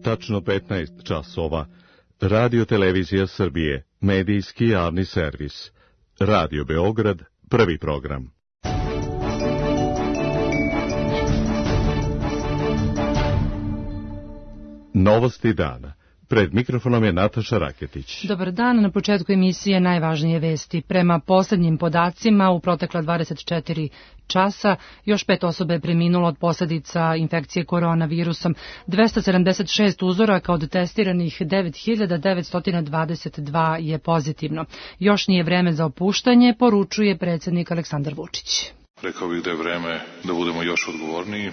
tačno 15 časova. Radio Televizija Srbije, medijski javni servis. Radio Beograd, prvi program. Novosti dana. Pred mikrofonom je Nataša Raketić. Dobar dan, na početku emisije najvažnije vesti. Prema poslednjim podacima, u protekla 24 časa još 5 osoba je preminulo od posljedica infekcije koronavirusom. 276 uzoraka od testiranih 9922 je pozitivno. Još nije vreme za opuštanje, poručuje predsjednik Aleksandar Vučić. Rekao bih da je vreme da budemo još odgovorniji,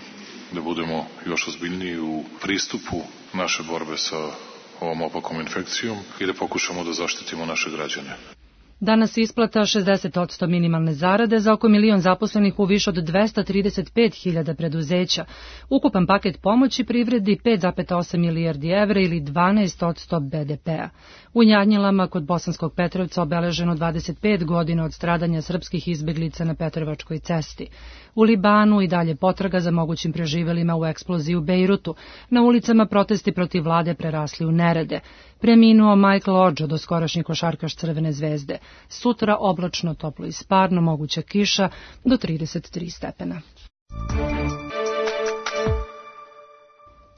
da budemo još ozbiljniji u pristupu naše borbe sa ovom opakom infekcijom i da pokušamo da zaštitimo naše građane. Danas isplata 60% minimalne zarade za oko 1 milion zaposlenih u više od 235.000 preduzeća. Ukupan paket pomoći privredi 5,8 milijardi evra ili 12% BDP-a. U Njanjilama kod Bosanskog Petrovca obeleženo 25 godina od stradanja srpskih izbeglica na Petrovačkoj cesti. U Libanu i dalje potraga za mogućim preživelima u eksploziji u Bejrutu. Na ulicama protesti protiv vlade prerasli u nerede. Preminuo Michael Ođo, doskorašnji košarkaš Crvene zvezde. Sutra oblačno, toplo i sparno, moguća kiša do 33 stepena.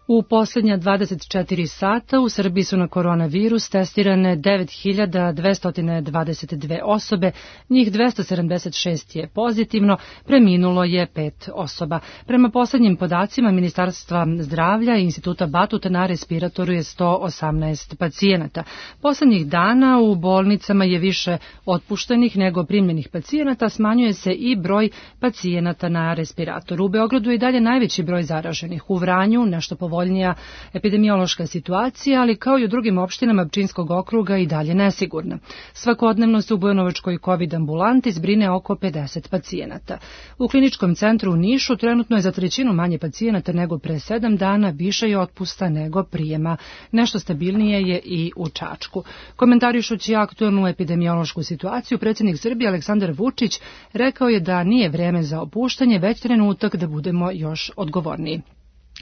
U posljednja 24 sata u Srbiji su na koronavirus testirane 9222 osobe, njih 276 je pozitivno, preminulo je 5 osoba. Prema posljednjim podacima Ministarstva zdravlja i Instituta Batut na respiratoru je 118 pacijenata. Posljednjih dana u bolnicama je više otpuštenih nego primljenih pacijenata, smanjuje se i broj pacijenata na respiratoru. U Beogradu je i dalje najveći broj zaraženih, u Vranju nešto povoljnija epidemiološka situacija, ali kao i u drugim opštinama Pčinjskog okruga i dalje nesigurna. Svakodnevno se u Bujanovačkoj COVID ambulanti zbrine oko 50 pacijenata. U kliničkom centru u Nišu trenutno je za trećinu manje pacijenata nego pre 7 dana, više je otpusta nego prijema. Nešto stabilnije je i u Čačku. Komentarišući aktuelnu epidemiološku situaciju, predsjednik Srbije Aleksandar Vučić rekao je da nije vreme za opuštanje, već trenutak da budemo još odgovorniji.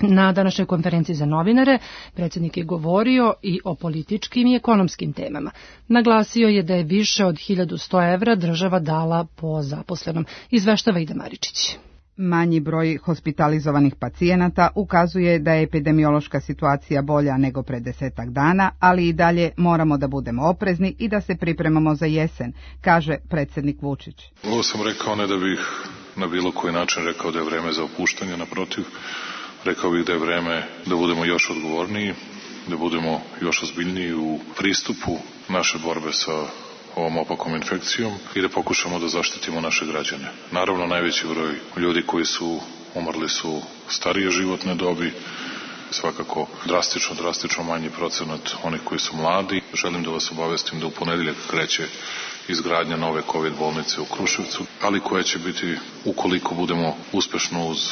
Na današnjoj konferenciji za novinare predsjednik je govorio i o političkim i ekonomskim temama. Naglasio je da je više od 1100 evra država dala po zaposlenom. Izveštava Ida Maričić. Manji broj hospitalizovanih pacijenata ukazuje da je epidemiološka situacija bolja nego pre 10 dana, ali i dalje moramo da budemo oprezni i da se pripremamo za jesen, kaže predsjednik Vučić. Ovo sam rekao ne da bih na bilo koji način rekao da je vreme za opuštanje, naprotiv. Rekao bih da je vreme da budemo još odgovorniji, da budemo još ozbiljniji u pristupu naše borbe sa ovom opakom infekcijom i da pokušamo da zaštitimo naše građane. Naravno, najveći broj ljudi koji su umrli su starije životne dobi, svakako drastično manji procenat onih koji su mladi. Želim da vas obavestim da u ponedeljak kreće izgradnja nove COVID bolnice u Kruševcu, ali koja će biti, ukoliko budemo uspešno uz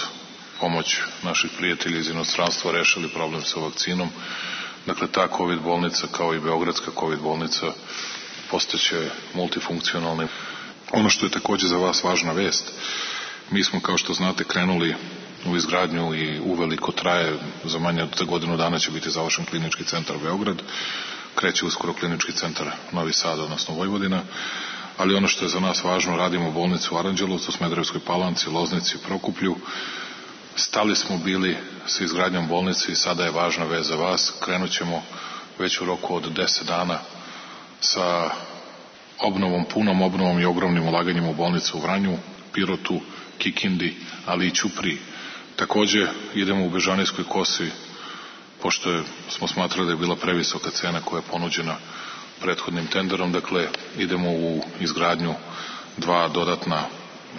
pomoć naših prijatelja iz inostranstva rešili problem sa vakcinom. Dakle, ta COVID bolnica kao i Beogradska COVID bolnica postaće multifunkcionalne. Ono što je takođe za vas važna vest, mi smo, kao što znate, krenuli u izgradnju i uveliko traje, za manje od godinu dana će biti završen klinički centar Beograd, kreće uskoro klinički centar Novi Sad, odnosno Vojvodina, ali ono što je za nas važno, radimo bolnicu u Aranđelovcu, Smederevskoj Palanci, Loznici, Prokuplju. Stali smo bili sa izgradnjom bolnice i sada je važna vez za vas. Krenut ćemo već u roku od 10 dana sa obnovom, punom obnovom i ogromnim ulaganjem u bolnicu u Vranju, Pirotu, Kikindi, ali i Ćupriji. Takođe idemo u Bežanijskoj Kosi, pošto smo smatrali da je bila previsoka cena koja je ponuđena prethodnim tenderom, dakle idemo u izgradnju 2 dodatna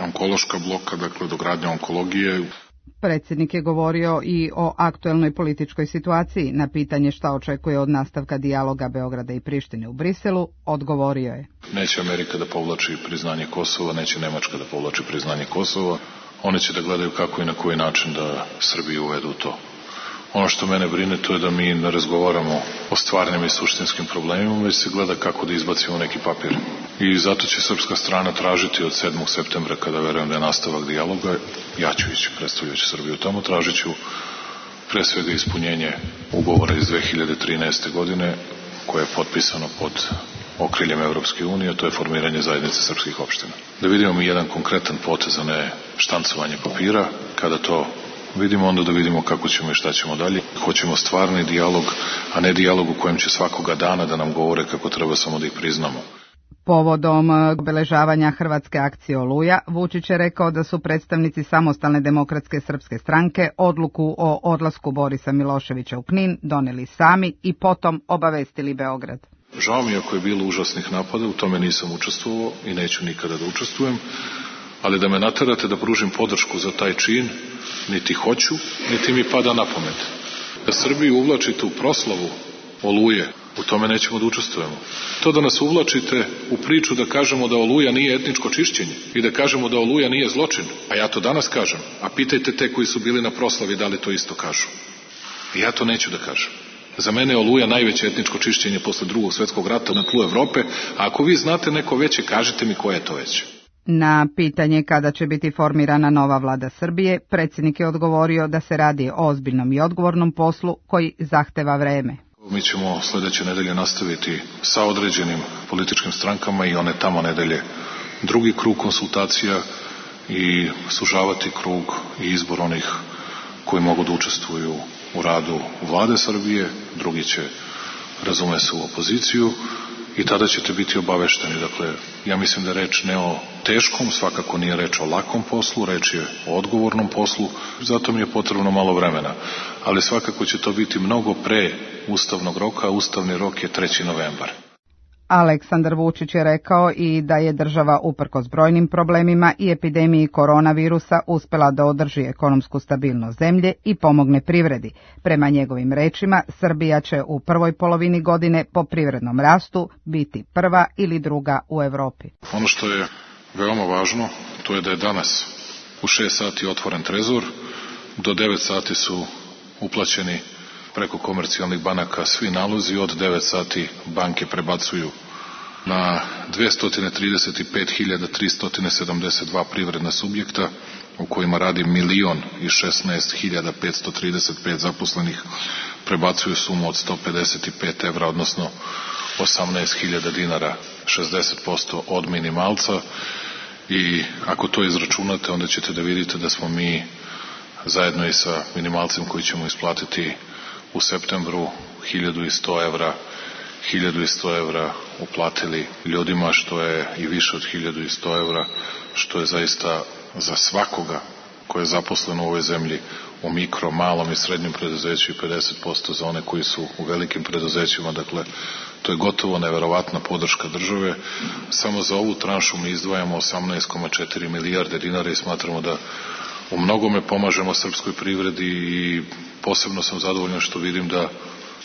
onkološka bloka, dakle dogradnja onkologije. Predsjednik je govorio i o aktuelnoj političkoj situaciji. Na pitanje šta očekuje od nastavka dijaloga Beograda i Prištine u Briselu, odgovorio je: Neće Amerika da povlači priznanje Kosova, neće Nemačka da povlači priznanje Kosova. One će da gledaju kako i na koji način da Srbiju uvedu to. Ono što mene brine, to je da mi ne razgovaramo o stvarnim i suštinskim problemima, već se gleda kako da izbacimo neki papir. I zato će srpska strana tražiti od 7. septembra, kada verujem da je nastavak dijaloga, ja ću ići, predstavljajući Srbiju tamo, tražit ću pre svega ispunjenje ugovora iz 2013. godine koje je potpisano pod okriljem Evropske unije, to je formiranje zajednice srpskih opština. Da vidimo mi jedan konkretan potez, a ne štancovanje papira. Kada to vidimo, onda da vidimo kako ćemo i šta ćemo dalje. Hoćemo stvarni dijalog, a ne dijalog u kojem će svakoga dana da nam govore kako treba samo da ih priznamo. Povodom obeležavanja Hrvatske akcije Oluja, Vučić je rekao da su predstavnici Samostalne demokratske srpske stranke odluku o odlasku Borisa Miloševića u Knin doneli sami i potom obavestili Beograd. Žao mi ako je bilo užasnih napada, u tome nisam učestvovao i neću nikada da učestvujem, ali da me naterate da pružim podršku za taj čin, niti hoću, niti mi pada na pamet. Da Srbiju uvlačite u proslavu Oluje, u tome nećemo da učestvujemo. To da nas uvlačite u priču da kažemo da Oluja nije etničko čišćenje i da kažemo da Oluja nije zločin, a ja to danas kažem, a pitajte te koji su bili na proslavi da li to isto kažu. I ja to neću da kažem. Za mene je Oluja najveće etničko čišćenje posle Drugog svjetskog rata na tlu Evrope, a ako vi znate neko veće, kažite mi koje je to veće. Na pitanje kada će biti formirana nova vlada Srbije, predsjednik je odgovorio da se radi o ozbiljnom i odgovornom poslu koji zahteva vreme. Mi ćemo sledeće nedelje nastaviti sa određenim političkim strankama i one tamo nedelje drugi krug konsultacija i sužavati krug i izbor onih koji mogu da učestvuju u radu vlade Srbije, drugi će razume se u opoziciju i tada ćete biti obavešteni. Dakle, ja mislim da je reč ne o teškom, svakako nije reč o lakom poslu, reč je o odgovornom poslu, zato mi je potrebno malo vremena, ali svakako će to biti mnogo pre ustavnog roka, a ustavni rok je 3. novembar. Aleksandar Vučić je rekao i da je država uprkos brojnim problemima i epidemiji koronavirusa uspela da održi ekonomsku stabilnost zemlje i pomogne privredi. Prema njegovim rečima, Srbija će u prvoj polovini godine po privrednom rastu biti prva ili druga u Evropi. Ono što je veoma važno, to je da je danas u 6 sati otvoren trezor, do 9 sati su uplaćeni preko komercijalnih banaka svi nalozi, od 9 sati banke prebacuju na 235.372 privredna subjekta u kojima radi 1.016.535 zaposlenih, prebacuju sumu od 155 evra, odnosno 18.000 dinara, 60% od minimalca, i ako to izračunate, onda ćete da vidite da smo mi zajedno i sa minimalcem koji ćemo isplatiti u septembru 1100 evra uplatili ljudima, što je i više od 1100 evra, što je zaista za svakoga ko je zaposlen u ovoj zemlji u mikro, malom i srednjem preduzeću i 50% za one koji su u velikim preduzećima. Dakle, to je gotovo neverovatna podrška države. Samo za ovu tranšu mi izdvajamo 18,4 milijarde dinara i smatramo da u mnogome pomažemo srpskoj privredi i posebno sam zadovoljan što vidim da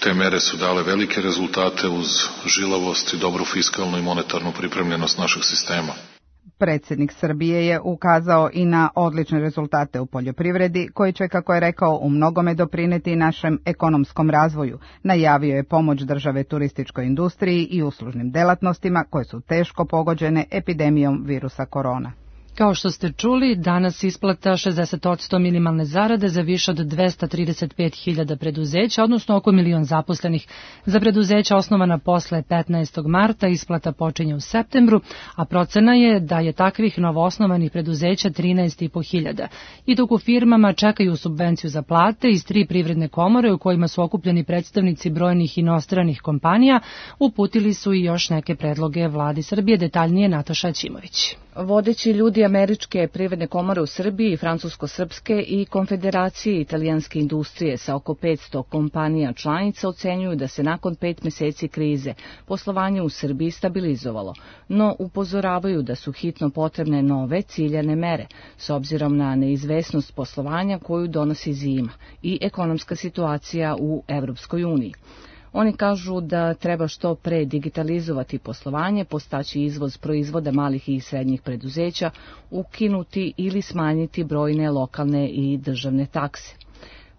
te mere su dale velike rezultate uz žilavost i dobru fiskalnu i monetarnu pripremljenost našeg sistema. Predsjednik Srbije je ukazao i na odlične rezultate u poljoprivredi, koji će, kako je rekao, u mnogome doprineti našem ekonomskom razvoju. Najavio je pomoć države turističkoj industriji i uslužnim delatnostima koje su teško pogođene epidemijom virusa korona. Kao što ste čuli, danas isplata 60% minimalne zarade za više od 235.000 preduzeća, odnosno oko 1.000.000 zaposlenih. Za preduzeća osnovana posle 15. marta isplata počinje u septembru, a procena je da je takvih novoosnovanih preduzeća 13.500. I dok u firmama čekaju subvenciju za plate iz 3 privredne komore u kojima su okupljeni predstavnici brojnih inostranih kompanija, uputili su i još neke predloge vladi Srbije. Detaljnije Nataša Ćimović. Vodeći ljudi Američke privredne komore u Srbiji, Francusko-srpske i Konfederacije italijanske industrije sa oko 500 kompanija članica ocenjuju da se nakon 5 meseci krize poslovanje u Srbiji stabilizovalo, no upozoravaju da su hitno potrebne nove ciljane mere s obzirom na neizvesnost poslovanja koju donosi zima i ekonomska situacija u Evropskoj uniji. Oni kažu da treba što pre digitalizovati poslovanje, postaći izvoz proizvoda malih i srednjih preduzeća, ukinuti ili smanjiti brojne lokalne i državne takse.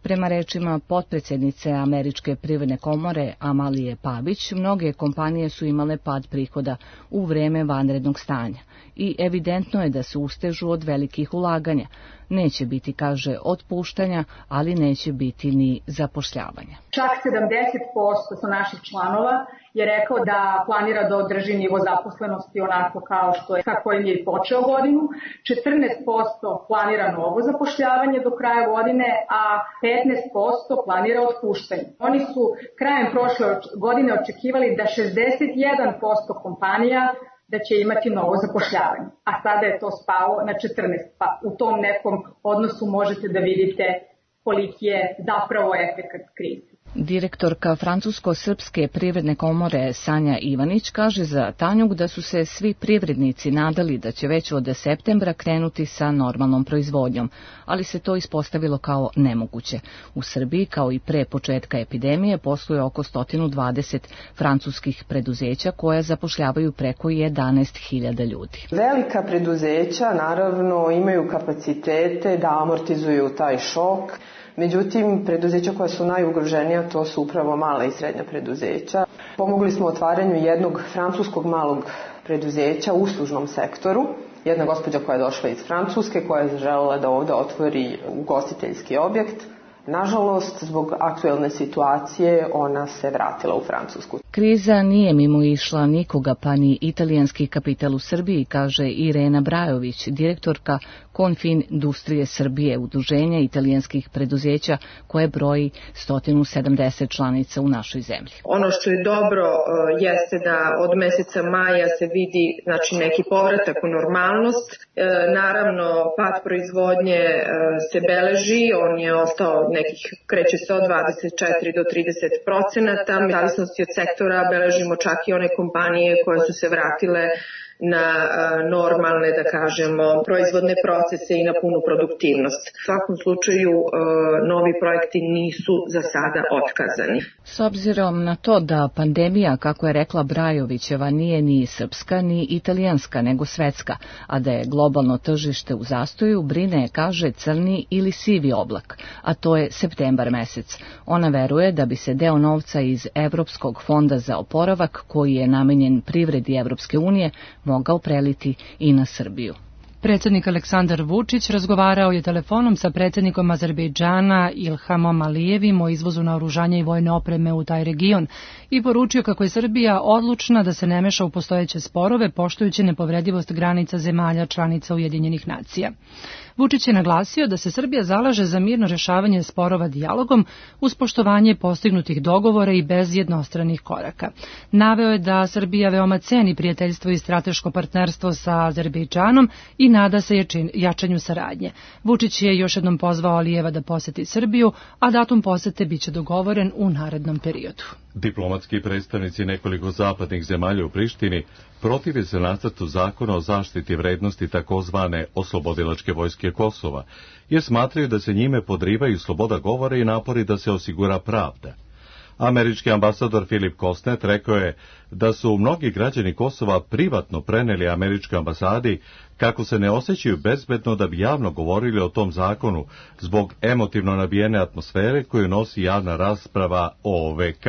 Prema rečima potpredsjednice Američke privredne komore Amalije Pabić, mnoge kompanije su imale pad prihoda u vreme vanrednog stanja i evidentno je da se ustežu od velikih ulaganja, neće biti, kaže, otpuštanja, ali neće biti ni zapošljavanja. Čak 70% sa naših članova je rekao da planira da održi nivo zaposlenosti onako kao što je, sa kojim je počeo godinu. 14% planira novo zapošljavanje do kraja godine, a 15% planira otpuštanje. Oni su krajem prošle godine očekivali da 61% kompanija da će imati novo zapošljavanje, a sada je to spalo na 14%, pa u tom nekom odnosu možete da vidite koliki je zapravo efekat krize. Direktorka Francusko-srpske privredne komore Sanja Ivanić kaže za Tanjug da su se svi privrednici nadali da će već od septembra krenuti sa normalnom proizvodnjom, ali se to ispostavilo kao nemoguće. U Srbiji, kao i pre početka epidemije, posluje oko 120 francuskih preduzeća koja zapošljavaju preko 11.000 ljudi. Velika preduzeća naravno imaju kapacitete da amortizuju taj šok. Međutim, preduzeća koja su najugroženija, to su upravo mala i srednja preduzeća. Pomogli smo otvaranju jednog francuskog malog preduzeća u uslužnom sektoru. Jedna gospođa koja je došla iz Francuske, koja je želela da ovde otvori ugostiteljski objekt. Nažalost, zbog aktuelne situacije, ona se vratila u Francusku. Kriza nije mimo išla nikoga, pa ni italijanski kapital u Srbiji, kaže Irena Brajović, direktorka Konfindustrije Srbije, udruženja italijanskih preduzeća koje broji 170 članica u našoj zemlji. Ono što je dobro jeste da od meseca maja se vidi neki povratak u normalnost. Naravno, pad proizvodnje se beleži, on je ostao kreće se od 24 do 30%. U zavisnosti od sektora beležimo čak i one kompanije koje su se vratile na normalne, da kažemo, proizvodne procese i na punu produktivnost. U svakom slučaju, novi projekti nisu za sada otkazani. S obzirom na to da pandemija, kako je rekla Brajovićeva, nije ni srpska ni italijanska, nego svetska, a da je globalno tržište u zastoju, brine, kaže, crni ili sivi oblak, a to je septembar mesec. Ona veruje da bi se deo novca iz Evropskog fonda za oporavak, koji je namenjen privredi Evropske unije, mogao preliti i na Srbiju. Predsjednik Aleksandar Vučić razgovarao je telefonom sa predsjednikom Azerbejdžana Ilhamom Alijevim o izvozu naoružanja i vojne opreme u taj region i poručio kako je Srbija odlučna da se ne meša u postojeće sporove, poštujući nepovredivost granica zemalja članica Ujedinjenih nacija. Vučić je naglasio da se Srbija zalaže za mirno rešavanje sporova dijalogom uz poštovanje postignutih dogovora i bez jednostranih koraka. Naveo je da Srbija veoma ceni prijateljstvo i strateško partnerstvo sa Azerbejdžanom i nada se jačanju saradnje. Vučić je još jednom pozvao Alijeva da poseti Srbiju, a datum posete biće dogovoren u narednom periodu. Diplomatski predstavnici nekoliko zapadnih zemalja u Prištini protive se nacrtu zakona o zaštiti vrednosti takozvane oslobodilačke vojske Kosova, jer smatraju da se njime podrivaju sloboda govora i napori da se osigura pravda. Američki ambasador Filip Kosnet rekao je da su mnogi građani Kosova privatno preneli američkoj ambasadi kako se ne osjećaju bezbedno da bi javno govorili o tom zakonu zbog emotivno nabijene atmosfere koju nosi javna rasprava o OVK.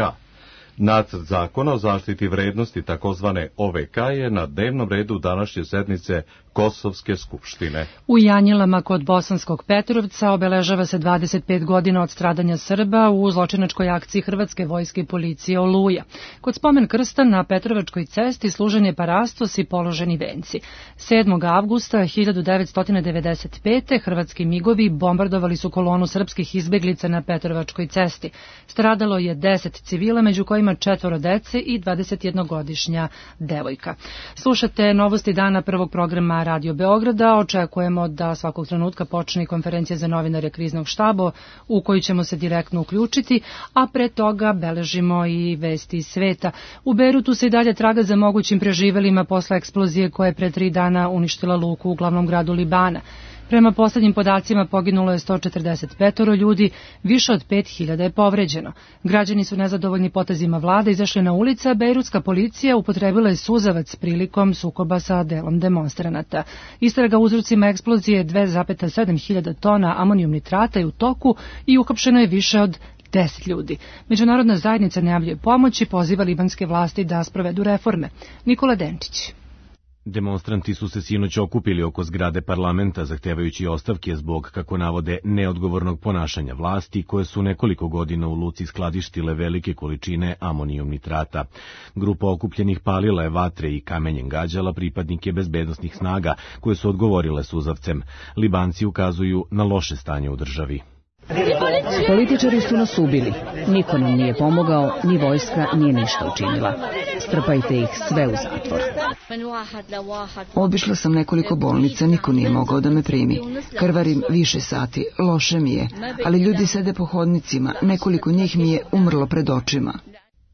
Nacrt zakona o zaštiti vrednosti takozvane OVK je na dnevnom redu današnje sednice Kosovske skupštine. U Janjilama kod Bosanskog Petrovca obeležava se 25 godina od stradanja Srba u zločinačkoj akciji Hrvatske vojske i policije Oluja. Kod spomen krsta na Petrovačkoj cesti služen je parastos i položeni venci. 7. avgusta 1995. hrvatski migovi bombardovali su kolonu srpskih izbeglica na Petrovačkoj cesti. Stradalo je 10 civila, među kojima 4 dece i 21-godišnja devojka. Slušate novosti dana prvog programa Radio Beograda. Očekujemo da svakog trenutka počne konferencija za novinare kriznog štaba u koju ćemo se direktno uključiti, a pre toga beležimo i vesti iz sveta. U Bejrutu se i dalje traga za mogućim preživelima posle eksplozije koja je pre 3 dana uništila luku u glavnom gradu Libana. Prema poslednjim podacima poginulo je 145 ljudi, više od 5000 je povređeno. Građani su nezadovoljni potezima vlade, izašli na ulice, a bejrutska policija upotrebila je suzavac prilikom sukoba sa delom demonstranata. Istraga uzrocima eksplozije 2,7 hiljada tona amonijum nitrata je u toku i uhapšeno je više od 10 ljudi. Međunarodna zajednica najavljuje pomoć i poziva libanske vlasti da sprovedu reforme. Nikola Denčić. Demonstranti su se sinoć okupili oko zgrade parlamenta zahtevajući ostavke zbog, kako navode, neodgovornog ponašanja vlasti koje su nekoliko godina u luci skladištile velike količine amonijum nitrata. Grupa okupljenih palila je vatre i kamenjem gađala pripadnike bezbednosnih snaga koje su odgovorile suzavcem. Libanci ukazuju na loše stanje u državi. Političari su nas ubili. Niko nam nije pomogao, ni vojska nije ništa učinila. Strpajte ih sve u zatvor. Obišla sam nekoliko bolnica, niko nije mogao da me primi. Krvarim više sati, loše mi je, ali ljudi sede po hodnicima, nekoliko njih mi je umrlo pred očima.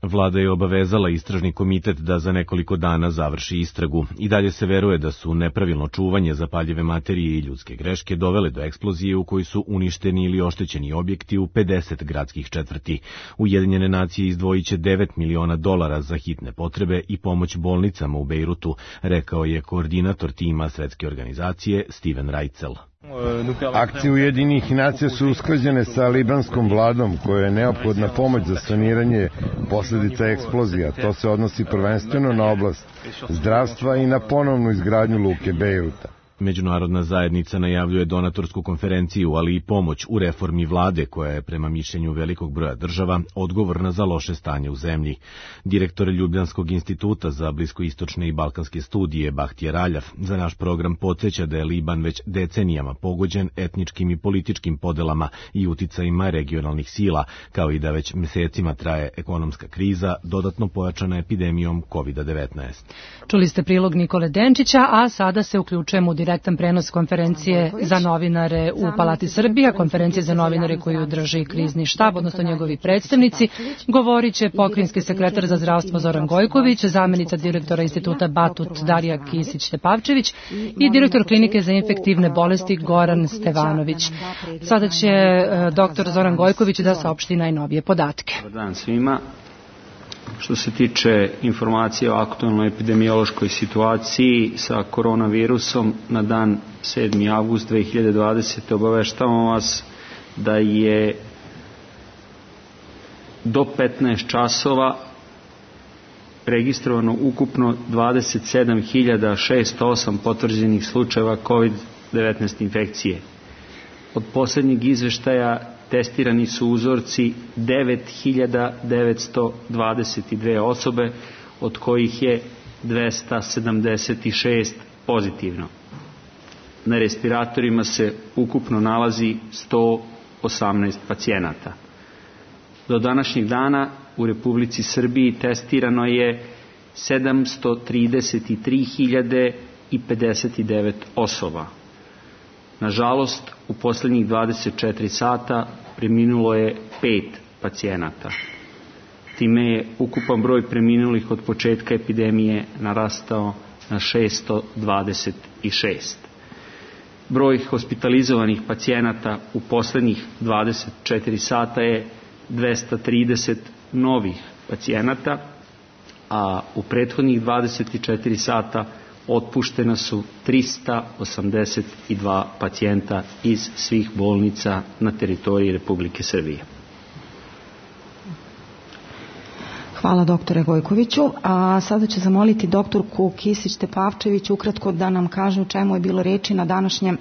Vlada je obavezala istražni komitet da za nekoliko dana završi istragu. I dalje se veruje da su nepravilno čuvanje zapaljive materije i ljudske greške dovele do eksplozije u kojoj su uništeni ili oštećeni objekti u 50 gradskih četvrti. Ujedinjene nacije izdvojit će $9 miliona za hitne potrebe i pomoć bolnicama u Bejrutu, rekao je koordinator tima Svetske organizacije Steven Reitzel. Akcije Ujedinjenih nacija su usklađene sa libanskom vladom koja je neophodna pomoć za saniranje posljedica eksplozija. To se odnosi prvenstveno na oblast zdravstva i na ponovnu izgradnju luke Bejruta. Međunarodna zajednica najavljuje donatorsku konferenciju, ali i pomoć u reformi vlade koja je, prema mišljenju velikog broja država, odgovorna za loše stanje u zemlji. Direktor Ljubljanskog instituta za bliskoistočne i balkanske studije Bahtjer Aljaf za naš program podsjeća da je Liban već decenijama pogođen etničkim i političkim podelama i uticajima regionalnih sila, kao i da već mesecima traje ekonomska kriza, dodatno pojačana epidemijom COVID-19. Čuli ste prilog Nikole Denčića, a sada se uključujemo u direktan prenos konferencije za novinare u Palati Srbija, konferencije za novinare koju drži krizni štab, odnosno njegovi predstavnici. Govorit će pokrajinski sekretar za zdravstvo Zoran Gojković, zamenica direktora instituta Batut Darija Kisić-Tepavčević i direktor klinike za infektivne bolesti Goran Stevanović. Sada će doktor Zoran Gojković da saopšti najnovije podatke. Dobar dan svima. Što se tiče informacije o aktualnoj epidemiološkoj situaciji sa koronavirusom na dan 7. avgust 2020. obaveštavamo vas da je do 15 časova registrovano ukupno 27.608 potvrđenih slučajeva COVID-19 infekcije. Od posljednjeg izveštaja testirani su uzorci 9.922 osobe, od kojih je 276 pozitivno. Na respiratorima se ukupno nalazi 118 pacijenata. Do današnjeg dana u Republici Srbiji testirano je 733.059 osoba. Nažalost, u posljednjih 24 sata preminulo je 5 pacijenata. Time je ukupan broj preminulih od početka epidemije narastao na 626. Broj hospitalizovanih pacijenata u posljednjih 24 sata je 230 novih pacijenata, a u prethodnih 24 sata otpuštena su 382 pacijenta iz svih bolnica na teritoriji Republike Srbije. Hvala doktore Gojkoviću. A sada ću zamoliti doktorku Kisić-Tepavčević ukratko da nam kaže o čemu je bilo reči na današnjem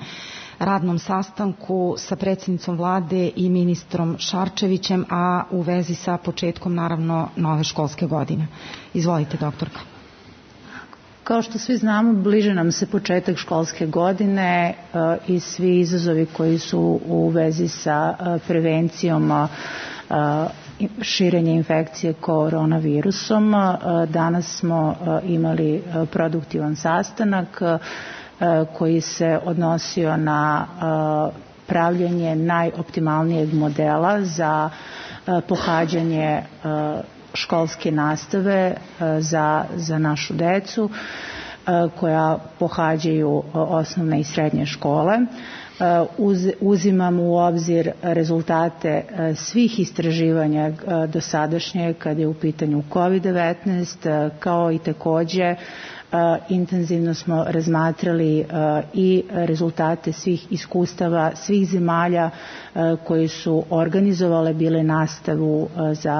radnom sastanku sa predsjednicom vlade i ministrom Šarčevićem, a u vezi sa početkom naravno nove školske godine. Izvolite doktorka. Kao što svi znamo, bliže nam se početak školske godine i svi izazovi koji su u vezi sa prevencijom širenja infekcije koronavirusom. Danas smo imali produktivan sastanak koji se odnosio na pravljenje najoptimalnijeg modela za pohađanje školske nastave za našu decu koja pohađaju osnovne i srednje škole. Uzimamo u obzir rezultate svih istraživanja dosadašnje kad je u pitanju COVID-19, kao i takođe Intenzivno smo razmatrali i rezultate svih iskustava svih zemalja koji su organizovale bile nastavu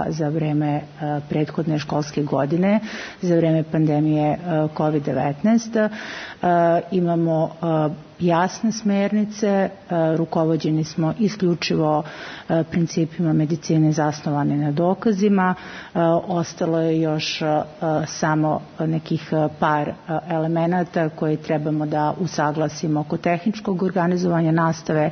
za vreme prethodne školske godine, za vreme pandemije COVID-19. Imamo jasne smernice, rukovođeni smo isključivo principima medicine zasnovane na dokazima. Ostalo je još samo nekih par elemenata koje trebamo da usaglasimo oko tehničkog organizovanja nastave,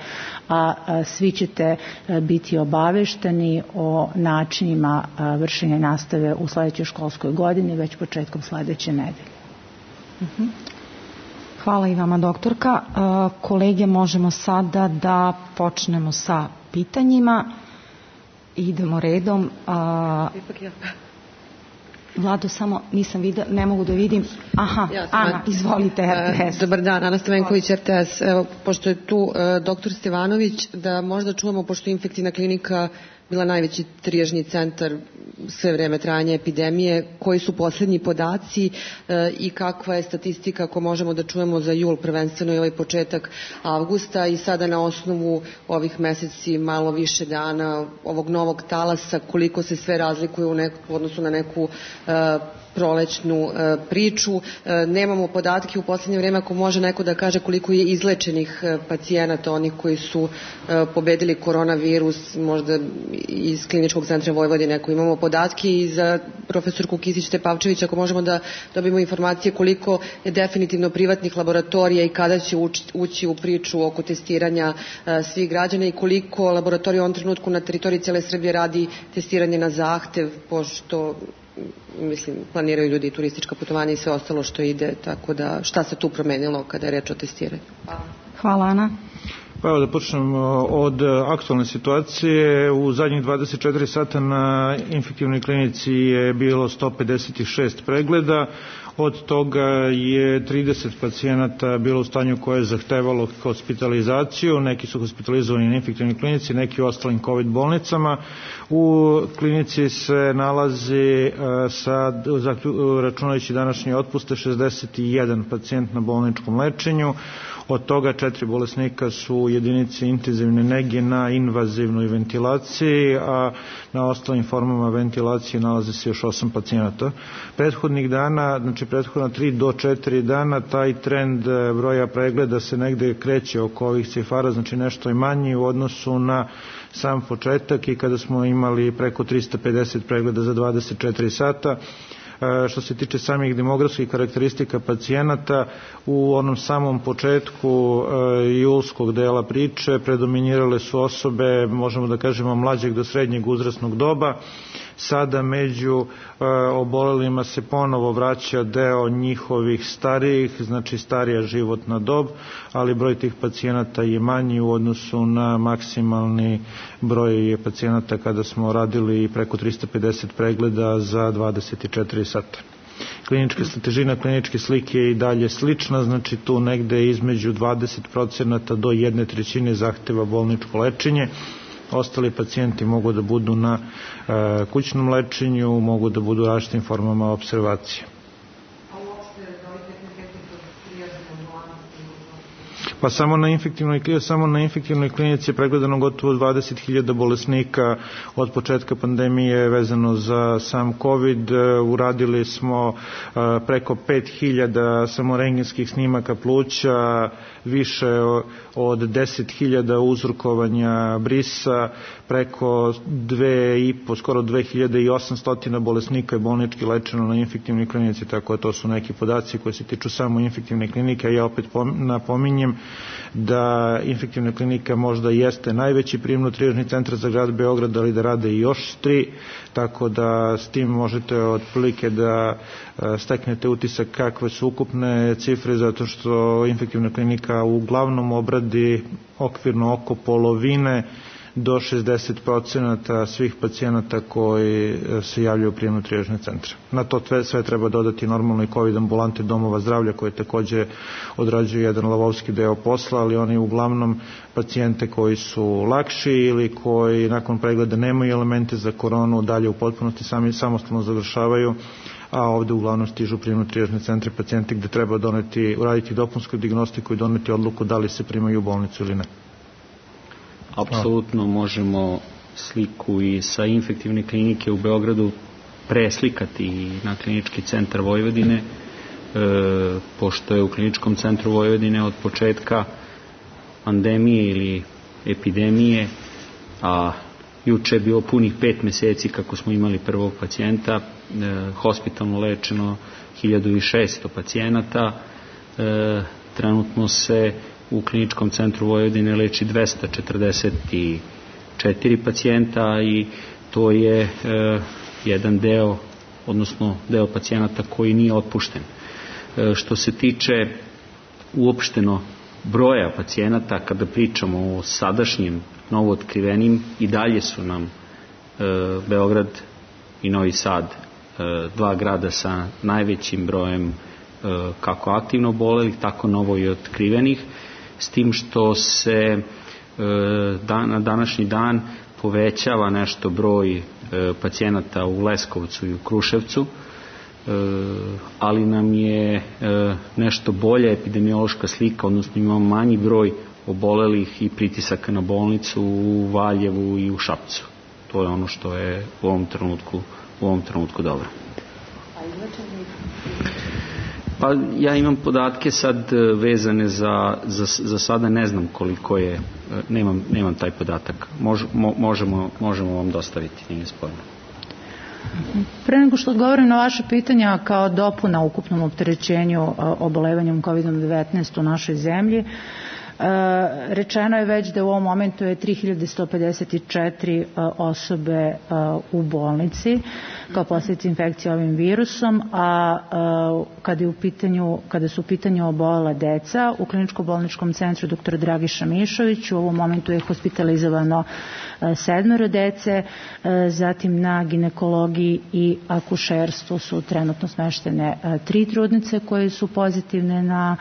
a svi ćete biti obavešteni o načinima vršenja nastave u sledećoj školskoj godini već početkom sledeće nedelje. Hvala i vama, doktorka. Kolege, možemo sada da počnemo sa pitanjima. Idemo redom. Vlado, samo nisam videla, ne mogu da vidim. Aha, Ana, izvolite, RTS. Dobar dan, Ana Stavenković, RTS. Evo, pošto je tu doktor Stevanović, da možda čujemo, pošto je infektivna klinika bila najveći trijažni centar sve vreme trajanja epidemije, koji su poslednji podaci i kakva je statistika, ako možemo da čujemo za jul, prvenstveno i ovaj početak avgusta, i sada na osnovu ovih meseci, malo više dana ovog novog talasa, koliko se sve razlikuje u odnosu na neku prolećnu priču. Nemamo podatke u poslednje vreme, ako može neko da kaže koliko je izlečenih pacijenata, onih koji su pobedili koronavirus, možda iz Kliničkog centra Vojvodine, ako imamo podatke, i za profesorku Kisić-Tepavčević, ako možemo da dobijemo informacije koliko je definitivno privatnih laboratorija i kada će ući u priču oko testiranja svih građana, i koliko laboratorija u ovom trenutku na teritoriji cele Srbije radi testiranje na zahtev, pošto planiraju ljudi turistička putovanja i sve ostalo što ide, tako da šta se tu promenilo kada je reč o testiranju? Hvala, Ana. Pa evo da počnem od aktualne situacije. U zadnjih 24 sata na infektivnoj klinici je bilo 156 pregleda, od toga je 30 pacijenata bilo u stanju koje je zahtevalo hospitalizaciju, neki su hospitalizovani na infektivnoj klinici, neki u ostalim COVID bolnicama. U klinici se nalazi, računajući današnje otpuste, 61 pacijent na bolničkom lečenju, od toga 4 bolesnika su u jedinici intenzivne nege na invazivnoj ventilaciji, a na ostalim formama ventilacije nalaze se još 8 pacijenata. Prethodnih dana, znači prethodna 3 do 4 dana, taj trend broja pregleda se negde kreće oko ovih cifara, znači nešto je manji u odnosu na sam početak i kada smo imali preko 350 pregleda za 24 sata. Što se tiče samih demografskih karakteristika pacijenata, u onom samom početku julskog dela priče predominirale su osobe, možemo da kažemo, mlađeg do srednjeg uzrasnog doba. Sada među obolelima se ponovo vraća deo njihovih starijih, znači starija životna dob, ali broj tih pacijenata je manji u odnosu na maksimalni broj pacijenata kada smo radili preko 350 pregleda za 24 sata. Težina kliničke slike je i dalje slična, znači tu negde između 20% do 1/3 zahteva bolničko lečenje. Ostali pacijenti mogu da budu na kućnom lečenju, mogu da budu u različitim formama observacije. Pa samo na infektivnoj klinici je pregledano gotovo 20.000 bolesnika od početka pandemije vezano za sam COVID. Uradili smo preko 5.000 samo rentgenskih snimaka pluća, više od 10.000 uzrokovanja brisa, preko 2.500, skoro 2.800 bolesnika je bolnički lečeno na infektivnoj klinici, tako da to su neki podaci koji se tiču samo infektivne klinike. Ja opet napominjem da infektivna klinika možda jeste najveći prijemno-trijažni centar za grad Beograd, ali da rade i još 3, tako da s tim možete otprilike da steknete utisak kakve su ukupne cifre, zato što infektivna klinika uglavnom obradi okvirno oko polovine do 60% svih pacijenata koji se javljaju u prijemno-trijažne centre. Na to sve treba dodati normalno i COVID ambulante domova zdravlja koje takođe odrađuju jedan lavovski deo posla, ali oni uglavnom pacijente koji su lakši ili koji nakon pregleda nemaju elemente za koronu dalje u potpunosti sami samostalno završavaju a ovde uglavnom stižu prijemno-trijažne centre pacijenti gde treba uraditi dopunsku dijagnostiku i doneti odluku da li se primaju u bolnicu ili ne. Apsolutno možemo sliku i sa infektivne klinike u Beogradu preslikati na klinički centar Vojvodine, pošto je u kliničkom centru Vojvodine od početka pandemije ili epidemije, a juče je bilo punih 5 meseci kako smo imali prvog pacijenta, hospitalno lečeno 1600 pacijenata, trenutno se u kliničkom centru Vojvodine leči 244 pacijenta i to je jedan deo, odnosno deo pacijenata koji nije otpušten. Što se tiče uopšteno broja pacijenata, kada pričamo o sadašnjim novootkrivenim, i dalje su nam Beograd i Novi Sad dva grada sa najvećim brojem kako aktivno obolelih, tako novo i otkrivenih, s tim što se na današnji dan povećava nešto broj pacijenata u Leskovcu i u Kruševcu, ali nam je nešto bolja epidemiološka slika, odnosno imamo manji broj obolelih i pritisaka na bolnicu u Valjevu i u Šapcu. To je ono što je u ovom trenutku dobro. Pa ja imam podatke sad vezane za sada, ne znam koliko je, nemam taj podatak. Možemo vam dostaviti, nije sporno. Pre nego što odgovorim na vaše pitanja, kao dopuna ukupnom opterećenju obolevanjem COVID-19 u našoj zemlji, rečeno je već da u ovom momentu je 3154 osobe u bolnici kao posljedica infekcije ovim virusom, a kada su u pitanju obolela deca, u kliničko-bolničkom centru dr. Dragiša Mišović u ovom momentu je hospitalizovano 7 dece, zatim na ginekologiji i akušerstvu su trenutno smeštene 3 trudnice koje su pozitivne na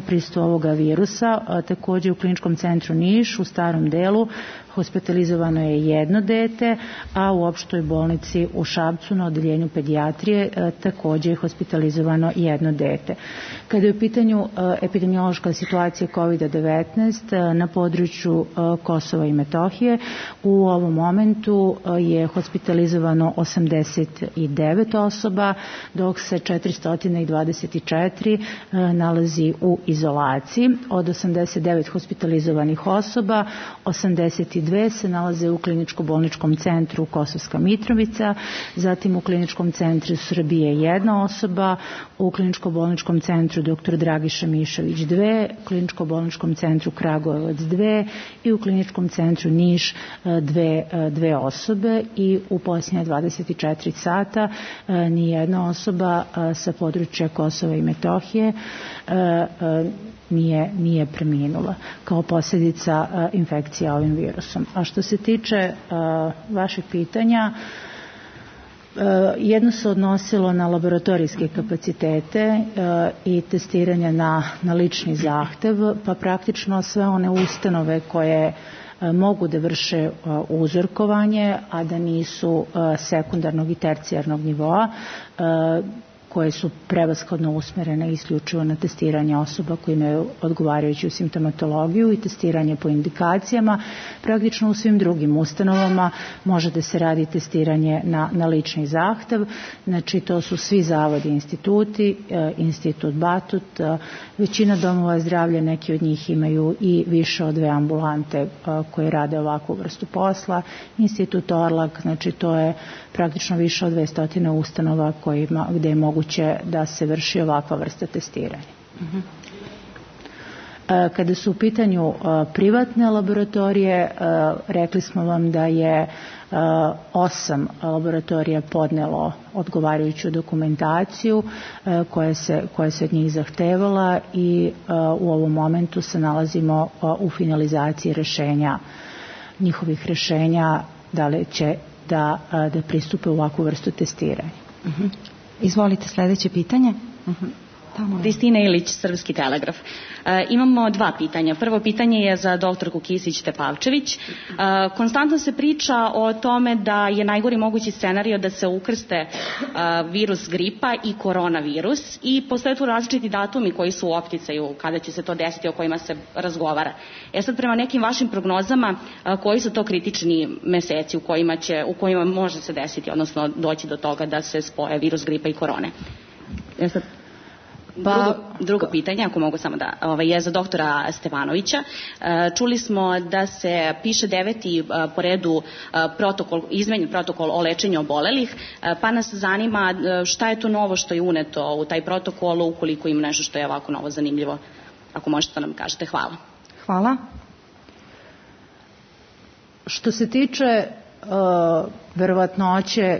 prisustvo ovoga virusa. Također u kliničkom centru Niš u starom delu hospitalizovano je 1 dete, a u opštoj bolnici u Šapcu na odeljenju pedijatrije također je hospitalizovano 1 dete. Kada je u pitanju epidemiološka situacija COVID-19 na području Kosova i Metohije, u ovom momentu je hospitalizovano 89 osoba, dok se 424 nalazi u izolaciji. Od 89 hospitalizovanih osoba, 82 se nalaze u kliničko-bolničkom centru Kosovska Mitrovica, zatim u kliničkom centru Srbije 1 osoba, u kliničko-bolničkom centru dr. Dragiša Mišović 2, u kliničko-bolničkom centru Kragujevac 2 i u kliničkom centru Niš 2 osobe, i u posljednje 24 sata ni jedna osoba sa područja Kosova i Metohije nije preminula kao posljedica infekcija ovim virusom. A što se tiče vaših pitanja, jedno se odnosilo na laboratorijske kapacitete i testiranje na lični zahtev, pa praktično sve one ustanove koje mogu da vrše uzorkovanje, a da nisu sekundarnog i tercijarnog nivoa, koje su prevashodno usmerene isključivo na testiranje osoba koji imaju odgovarajuću simptomatologiju i testiranje po indikacijama. Praktično u svim drugim ustanovama može da se radi testiranje na lični zahtev. Znači to su svi zavodi i instituti, institut Batut, većina domova zdravlja, neki od njih imaju i više od 2 ambulante koje rade ovakvu vrstu posla. Institut Orlak, znači to je praktično više od 200 ustanova gde je moguće da se vrši ovakva vrsta testiranja. Kada su u pitanju privatne laboratorije, rekli smo vam da je 8 laboratorija podnelo odgovarajuću dokumentaciju koja se od njih zahtevala, i u ovom momentu se nalazimo u finalizaciji njihovih rješenja da li će da pristupe u ovakvu vrstu testiranja. Izvolite, sljedeće pitanje. Kristina Ilić, Srpski telegraf. Imamo dva pitanja. Prvo pitanje je za doktorku Kisić-Tepavčević. Konstantno se priča o tome da je najgori mogući scenario da se ukrste virus gripa i koronavirus i postoje tu različiti datumi koji su u opticaju kada će se to desiti, o kojima se razgovara. Sad prema nekim vašim prognozama, koji su to kritični meseci u kojima može se desiti, odnosno doći do toga da se spoje virus gripa i korone? Drugo pitanje, ako mogu samo da, je za doktora Stevanovića. Čuli smo da se piše 9. po redu izmenjen protokol o lečenju obolelih, pa nas zanima šta je to novo što je uneto u taj protokol, ukoliko ima nešto što je ovako novo zanimljivo. Ako možete da nam kažete. Hvala. Hvala. Što se tiče verovatnoće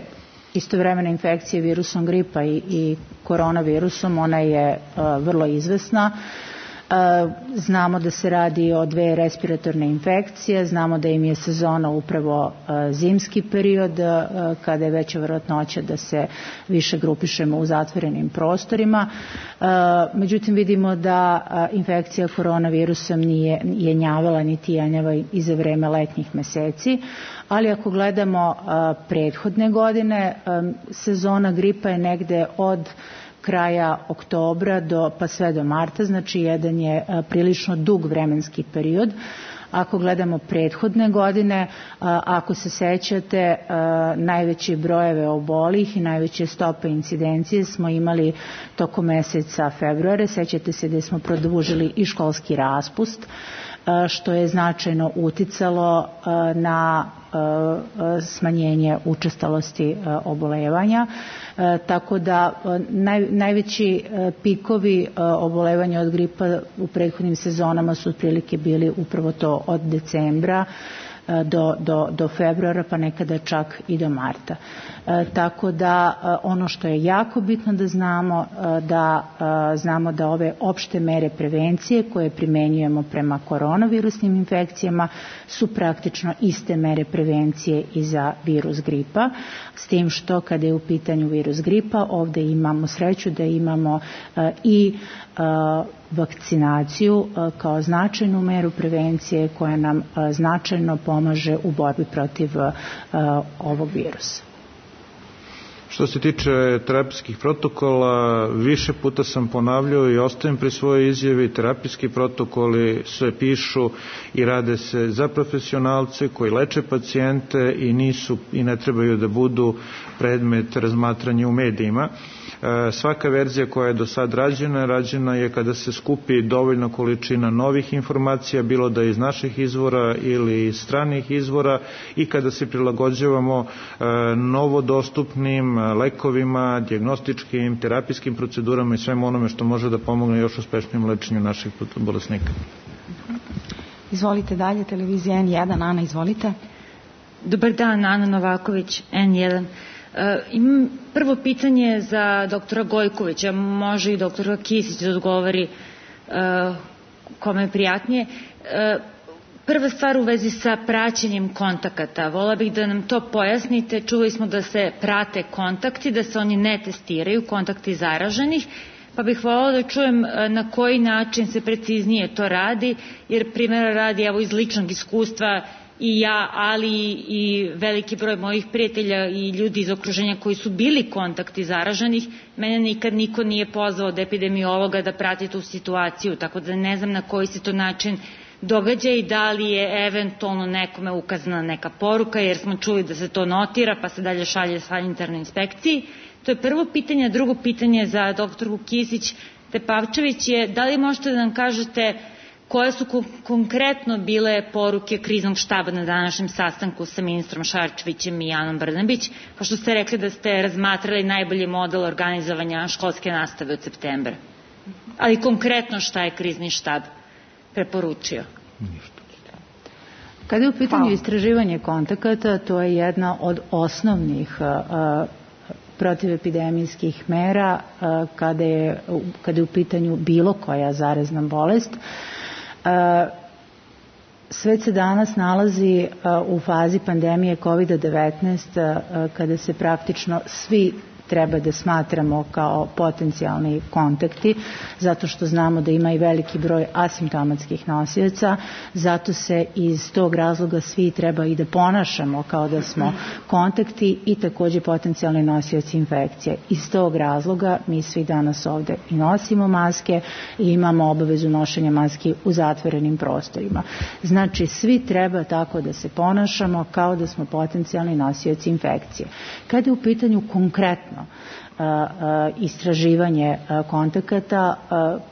istovremene infekcije virusom gripa i koronavirusom, ona je vrlo izvesna. Znamo da se radi o dve respiratorne infekcije, znamo da im je sezona upravo zimski period, kada je veća verovatnoća da se više grupišemo u zatvorenim prostorima. Međutim, vidimo da infekcija koronavirusom nije jenjavala niti jenjava i za vreme letnjih meseci, ali ako gledamo prethodne godine, sezona gripa je negde od kraja oktobra pa sve do marta, znači jedan je prilično dug vremenski period. Ako gledamo prethodne godine, ako se sećate, najveće brojeve obolih i najveće stope incidencije smo imali tokom meseca februara. Sećate se da smo produžili i školski raspust, što je značajno uticalo na smanjenje učestalosti obolevanja. Tako da najveći pikovi obolevanja od gripa u prethodnim sezonama su otprilike bili upravo to od decembra do februara, pa nekada čak i do marta. Tako da ono što je jako bitno da znamo da ove opšte mere prevencije koje primenjujemo prema koronavirusnim infekcijama su praktično iste mere prevencije i za virus gripa, s tim što kada je u pitanju virus gripa ovde imamo sreću da imamo i vakcinaciju kao značajnu meru prevencije koja nam značajno pomaže u borbi protiv ovog virusa. Što se tiče terapijskih protokola, više puta sam ponavljao i ostajem pri svojoj izjavi, terapijski protokoli se pišu i rade se za profesionalce koji leče pacijente i ne trebaju da budu predmet razmatranja u medijima. Svaka verzija koja je do sad rađena je kada se skupi dovoljna količina novih informacija, bilo da iz naših izvora ili iz stranih izvora, i kada se prilagođavamo novodostupnim lekovima, dijagnostičkim, terapijskim procedurama i svemu onome što može da pomogne još uspešnijem lečenju naših bolesnika. Izvolite dalje, televizija N1. Ana, izvolite. Dobar dan, Ana Novaković, N1. Imam prvo pitanje za doktora Gojkovića, može i doktora Kisić da odgovori kome je prijatnije. Prva stvar u vezi sa praćenjem kontakata. Vola bih da nam to pojasnite. Čuli smo da se prate kontakti, da se oni ne testiraju, kontakti zaraženih, pa bih voljela da čujem na koji način se preciznije to radi, jer primjera radi, evo iz ličnog iskustva, i ja, ali i veliki broj mojih prijatelja i ljudi iz okruženja koji su bili kontakti zaraženih, mene nikad niko nije pozvao od epidemiologa da prati tu situaciju, tako da ne znam na koji se to način događa i da li je eventualno nekome ukazana neka poruka, jer smo čuli da se to notira pa se dalje šalje sanitarnoj inspekciji. To je prvo pitanje. Drugo pitanje za doktorku Kisić-Tepavčević je da li možete da nam kažete koje su konkretno bile poruke kriznog štaba na današnjem sastanku sa ministrom Šarčevićem i Anom Brnabić, pošto ste rekli da ste razmatrali najbolji model organizovanja školske nastave od septembra. Ali konkretno šta je krizni štab preporučio? Kada je u pitanju istraživanje kontakata, to je jedna od osnovnih protivepidemijskih mera kada je u pitanju bilo koja zarazna bolest. Svet se danas nalazi u fazi pandemije COVID-19 kada se praktično svi treba da smatramo kao potencijalni kontakti, zato što znamo da ima i veliki broj asimptomatskih nosioca, zato se iz tog razloga svi treba i da ponašamo kao da smo kontakti i takođe potencijalni nosioci infekcije. Iz tog razloga mi svi danas ovde i nosimo maske i imamo obavezu nošenja maski u zatvorenim prostorima. Znači, svi treba tako da se ponašamo kao da smo potencijalni nosioci infekcije. Kada je u pitanju konkretno istraživanje kontakata,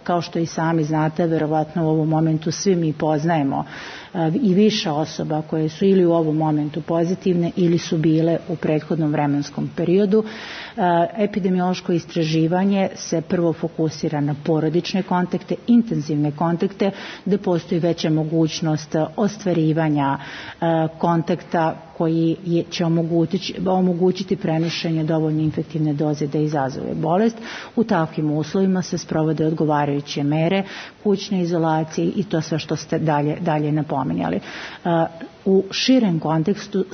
kao što i sami znate, verovatno u ovom momentu svi mi poznajemo i više osoba koje su ili u ovom momentu pozitivne ili su bile u prethodnom vremenskom periodu. Epidemiološko istraživanje se prvo fokusira na porodične kontakte, intenzivne kontakte, gde postoji veća mogućnost ostvarivanja kontakta koji će omogućiti prenošenje dovoljno infektivne doze da izazove bolest. U takvim uslovima se sprovode odgovarajuće mere kućne izolacije i to sve što ste dalje napominjali. U širem kontekstu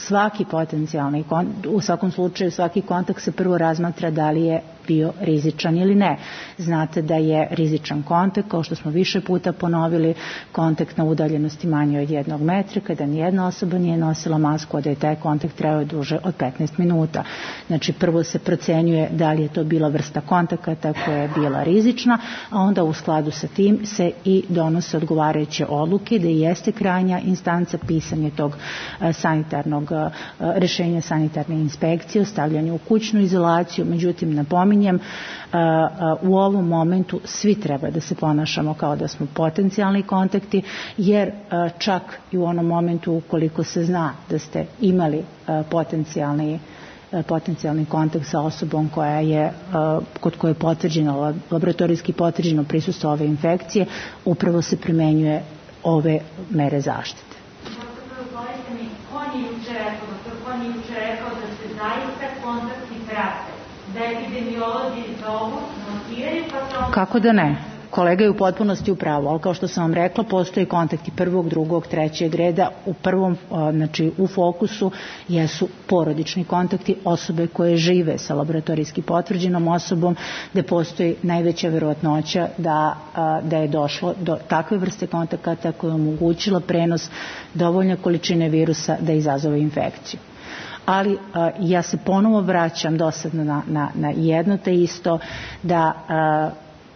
u svakom slučaju svaki kontakt se prvo razmatra da li je bio rizičan ili ne. Znate da je rizičan kontakt, kao što smo više puta ponovili, kontakt na udaljenosti manje od 1 metra, kada nijedna osoba nije nosila masku, a da je taj kontakt trajao duže od 15 minuta. Znači, prvo se procenjuje da li je to bila vrsta kontakata koja je bila rizična, a onda u skladu sa tim se i donose odgovarajuće odluke da jeste krajnja instanca pisanje tog sanitarnog rešenja sanitarne inspekcije, stavljanje u kućnu izolaciju. Međutim, napominjem, u ovom momentu svi treba da se ponašamo kao da smo potencijalni kontakti, jer čak i u onom momentu ukoliko se zna da ste imali potencijalni kontakt sa osobom kod koje je potvrđeno, laboratorijski potvrđeno prisustvo ove infekcije, upravo se primenjuje ove mere zaštite. On je juče rekao da se zaista kontakti prate, da epidemiolozi zovu, notiraju, pa to... Kako da ne? Kolega je u potpunosti u pravu, ali kao što sam vam rekla, postoje kontakti prvog, drugog, trećeg reda. U prvom, znači u fokusu, jesu porodični kontakti, osobe koje žive sa laboratorijski potvrđenom osobom, gde postoji najveća verovatnoća da je došlo do takve vrste kontakata koja je omogućila prenos dovoljne količine virusa da izazove infekciju. Ali ja se ponovo vraćam dosadno na jedno te isto, da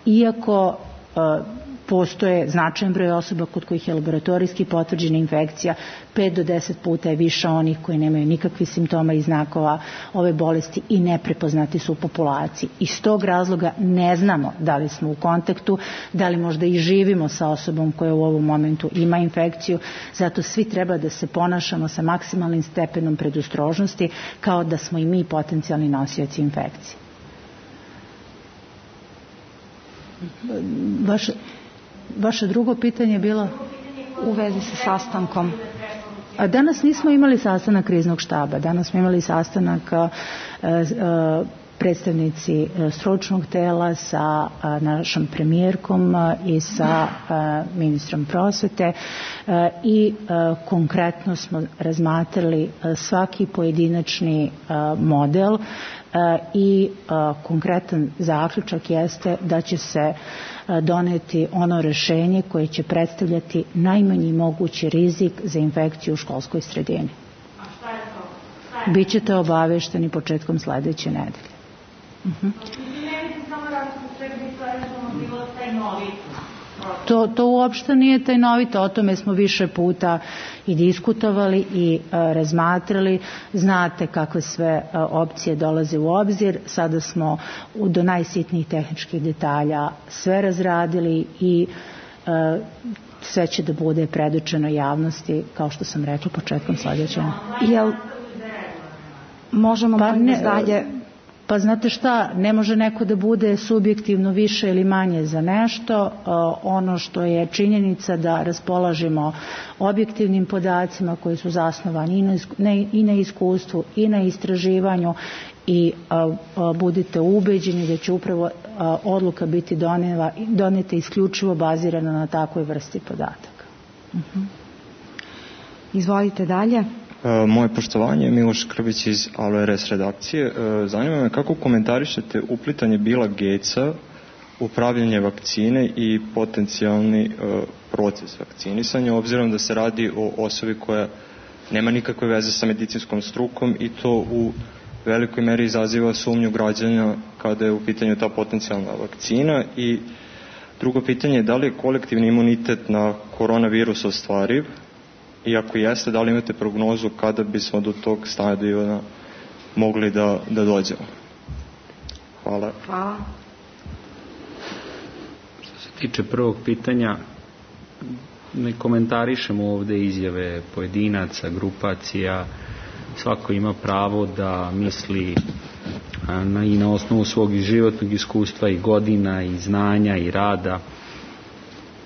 iako postoje značajan broj osoba kod kojih je laboratorijski potvrđena infekcija, 5 do 10 puta je više onih koji nemaju nikakvih simptoma i znakova ove bolesti i neprepoznati su u populaciji. Iz tog razloga ne znamo da li smo u kontaktu, da li možda i živimo sa osobom koja u ovom momentu ima infekciju, zato svi treba da se ponašamo sa maksimalnim stepenom predostrožnosti kao da smo i mi potencijalni nosioci infekcije. Vaše drugo pitanje je bilo u vezi sa sastankom. Danas nismo imali sastanak kriznog štaba, danas smo imali sastanak predstavnici stručnog tela sa našom premijerkom i sa ministrom prosvete i konkretno smo razmatrali svaki pojedinačni model i konkretan zaključak jeste da će se doneti ono rešenje koje će predstavljati najmanji mogući rizik za infekciju u školskoj sredini. A šta je to? Bićete obavešteni početkom sledeće nedelje. Ne mislim samo da su sve bilo tajnovito. To uopšte nije tajnovito, o tome smo više puta i diskutovali i razmatrali. Znate kakve sve opcije dolaze u obzir. Sada smo do najsitnijih tehničkih detalja sve razradili i sve će da bude predočeno javnosti, kao što sam rekla, početkom sledećeg. Jel možemo dalje... Pa znate šta, ne može neko da bude subjektivno više ili manje za nešto. Ono što je činjenica da raspolažemo objektivnim podacima koji su zasnovani i na iskustvu i na istraživanju i budite ubeđeni da će upravo odluka biti doneta isključivo bazirana na takvoj vrsti podataka. Izvolite dalje. Moje poštovanje, Miloš Krbić iz ALRS redakcije. Zanima me kako komentarišete uplitanje Billa Gatesa u pravljenje vakcine i potencijalni proces vakcinisanja, obzirom da se radi o osobi koja nema nikakve veze sa medicinskom strukom i to u velikoj meri izaziva sumnju građana kada je u pitanju ta potencijalna vakcina. I drugo pitanje je da li je kolektivni imunitet na koronavirus ostvariv i ako jeste, da li imate prognozu kada bismo do tog stadiona mogli da dođemo? Hvala. Hvala. Što se tiče prvog pitanja, ne komentarišemo ovde izjave pojedinaca, grupacija. Svako ima pravo da misli i na osnovu svog životnog iskustva i godina i znanja i rada.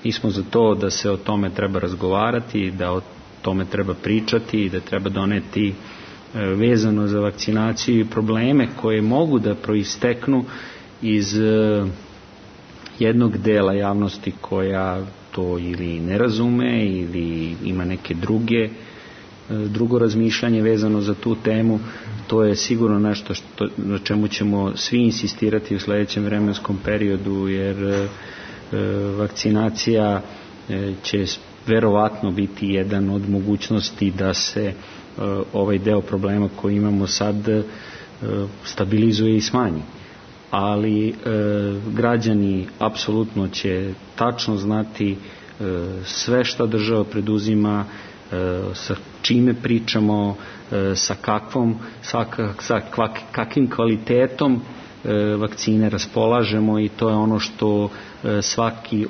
Mi smo za to da se o tome treba razgovarati, da o tome treba pričati i da treba doneti vezano za vakcinaciju i probleme koje mogu da proisteknu iz jednog dela javnosti koja to ili ne razume ili ima neke drugo razmišljanje vezano za tu temu. To je sigurno nešto na čemu ćemo svi insistirati u sledećem vremenskom periodu, jer vakcinacija će verovatno biti jedan od mogućnosti da se ovaj deo problema koji imamo sad stabilizuje i smanji. Ali građani apsolutno će tačno znati sve što država preduzima, sa čime pričamo, sa kakvim kvalitetom vakcine raspolažemo, i to je ono što svaki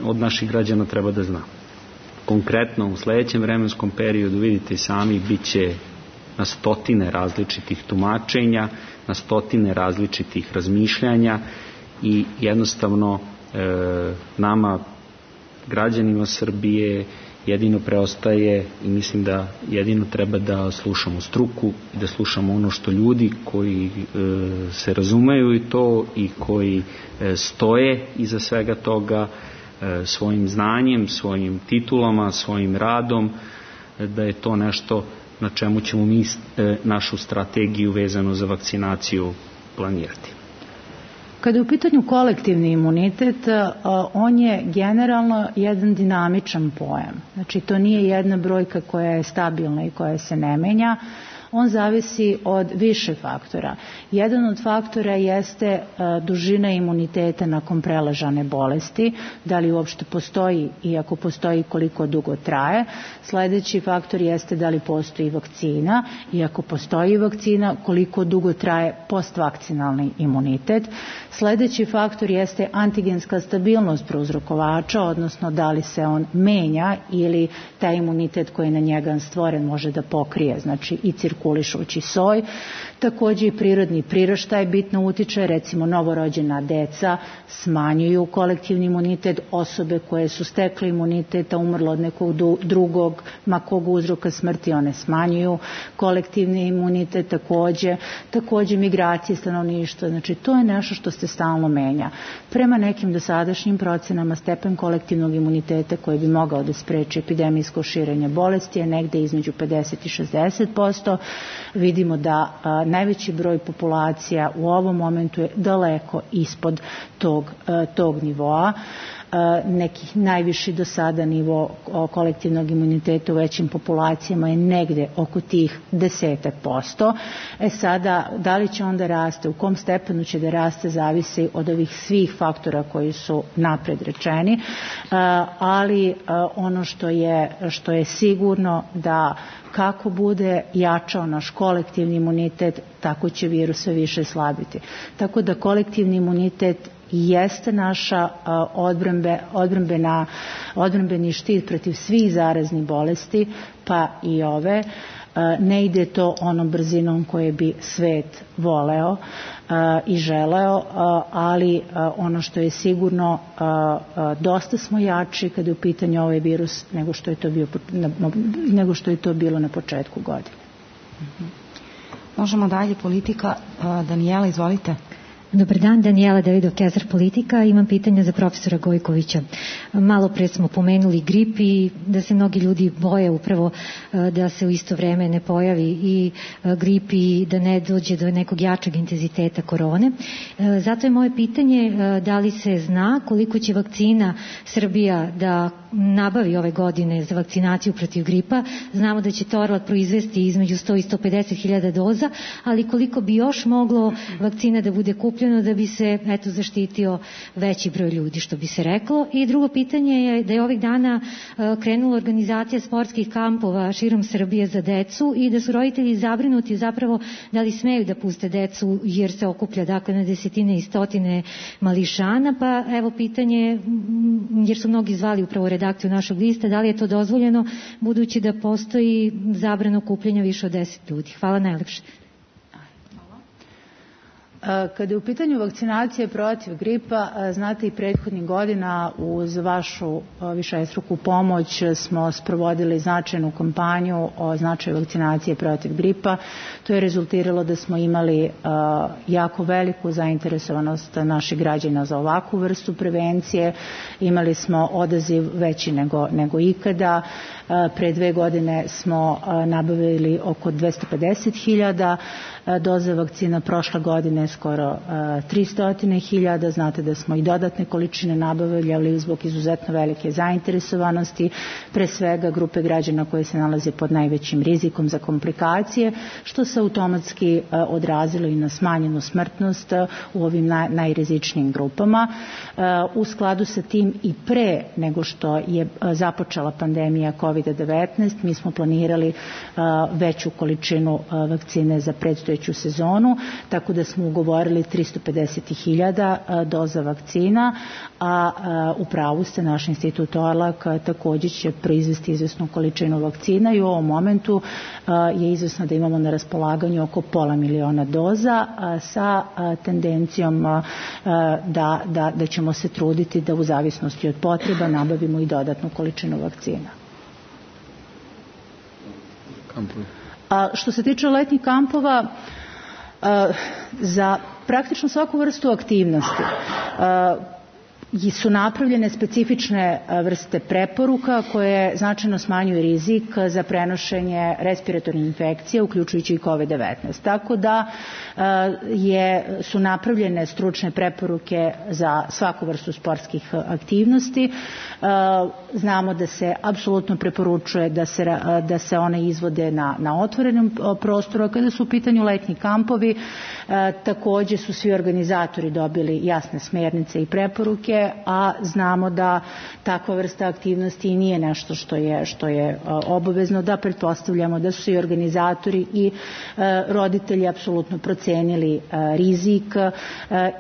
od naših građana treba da zna. Konkretno u sledećem vremenskom periodu, vidite sami, bit će na stotine različitih tumačenja, na stotine različitih razmišljanja i jednostavno nama, građanima Srbije, jedino preostaje i mislim da jedino treba da slušamo struku i da slušamo ono što ljudi koji se razumeju i to i koji stoje iza svega toga svojim znanjem, svojim titulama, svojim radom, da je to nešto na čemu ćemo mi našu strategiju vezano za vakcinaciju planirati. Kada je u pitanju kolektivni imunitet, on je generalno jedan dinamičan pojam. Znači, to nije jedna brojka koja je stabilna i koja se ne menja. On zavisi od više faktora. Jedan od faktora jeste dužina imuniteta nakon preležane bolesti, da li uopšte postoji i ako postoji koliko dugo traje. Sledeći faktor jeste da li postoji vakcina i ako postoji vakcina koliko dugo traje postvakcinalni imunitet. Sledeći faktor jeste antigenska stabilnost prouzrokovača, odnosno da li se on menja ili taj imunitet koji je na njega stvoren može da pokrije, znači i cirkulišući soj. Takođe i prirodni priraštaj bitno utiče, recimo novorođena deca smanjuju kolektivni imunitet, osobe koje su stekle imunitet, a umrlo od nekog drugog, ma kog uzroka smrti, one smanjuju kolektivni imunitet takođe migracije stanovništva, znači to je nešto što se stalno menja. Prema nekim dosadašnjim procenama stepen kolektivnog imuniteta koji bi mogao da spreči epidemijsko širenje bolesti je negde između 50 i 60%. Vidimo da najveći broj populacija u ovom momentu je daleko ispod tog nivoa. Nekih najviši do sada nivo kolektivnog imuniteta u većim populacijama je negde oko tih 10%. Sada, da li će onda raste, u kom stepenu će da raste, zavisi od ovih svih faktora koji su napred rečeni, ali ono što je sigurno da kako bude jačao naš kolektivni imunitet, tako će virus sve više slabiti. Tako da kolektivni imunitet jeste naša odbrambeni štit protiv svih zaraznih bolesti, pa i ove. Ne ide to onom brzinom koje bi svet voleo i želeo, ali ono što je sigurno, dosta smo jači kada je u pitanju ovaj virus nego što je to bilo na početku godine. Možemo dalje, politika. Danijela, izvolite. Dobar dan, Danijela Davidov, Kesar Politika. Imam pitanja za profesora Gojkovića. Malo pre smo pomenuli grip i da se mnogi ljudi boje upravo da se u isto vreme ne pojavi i grip i da ne dođe do nekog jačeg intenziteta korone. Zato je moje pitanje da li se zna koliko će vakcina Srbija da nabavi ove godine za vakcinaciju protiv gripa. Znamo da će Torlak proizvesti između 100 i 150 hiljada doza, ali koliko bi još moglo vakcina da bude kupljeno da bi se zaštitio veći broj ljudi, što bi se reklo. I drugo pitanje je da je ovih dana krenula organizacija sportskih kampova širom Srbije za decu i da su roditelji zabrinuti zapravo da li smeju da puste decu jer se okuplja na desetine i stotine mališana, pa evo pitanje, jer su mnogi zvali upravo redakciju našeg lista, da li je to dozvoljeno budući da postoji zabrana okupljanja više od 10 ljudi. Hvala najlepše. Kada je u pitanju vakcinacije protiv gripa, znate i prethodnih godina uz vašu višestruku pomoć smo sprovodili značajnu kampanju o značaju vakcinacije protiv gripa. To je rezultiralo da smo imali jako veliku zainteresovanost naših građana za ovakvu vrstu prevencije. Imali smo odaziv veći nego ikada. Pre 2 godine smo nabavili oko 250.000 doze vakcina, prošle godine skoro 300.000. Znate da smo i dodatne količine nabavljali zbog izuzetno velike zainteresovanosti, pre svega grupe građana koje se nalaze pod najvećim rizikom za komplikacije, što se automatski odrazilo i na smanjenu smrtnost u ovim najrizičnijim grupama. U skladu sa tim i pre nego što je započela pandemija COVID-19, mi smo planirali veću količinu vakcine za predstojeću sezonu, tako da smo ugovorili 350.000 doza vakcina, a u pravu ste, naš institut Torlak također će proizvesti izvesnu količinu vakcina i u ovom momentu je izvesno da imamo na raspolaganju oko 500.000 doza sa tendencijom da ćemo se truditi da u zavisnosti od potreba nabavimo i dodatnu količinu vakcina. Što se tiče letnjih kampova, za praktično svaku vrstu aktivnosti su napravljene specifične vrste preporuka koje značajno smanjuju rizik za prenošenje respiratornih infekcija, uključujući i COVID-19. Tako da su napravljene stručne preporuke za svaku vrstu sportskih aktivnosti. Znamo da se apsolutno preporučuje da se one izvode na otvorenom prostoru. Kada su u pitanju letnji kampovi, također su svi organizatori dobili jasne smjernice i preporuke, a znamo da takva vrsta aktivnosti i nije nešto što je obavezno, da pretpostavljamo da su i organizatori i roditelji apsolutno procenili rizik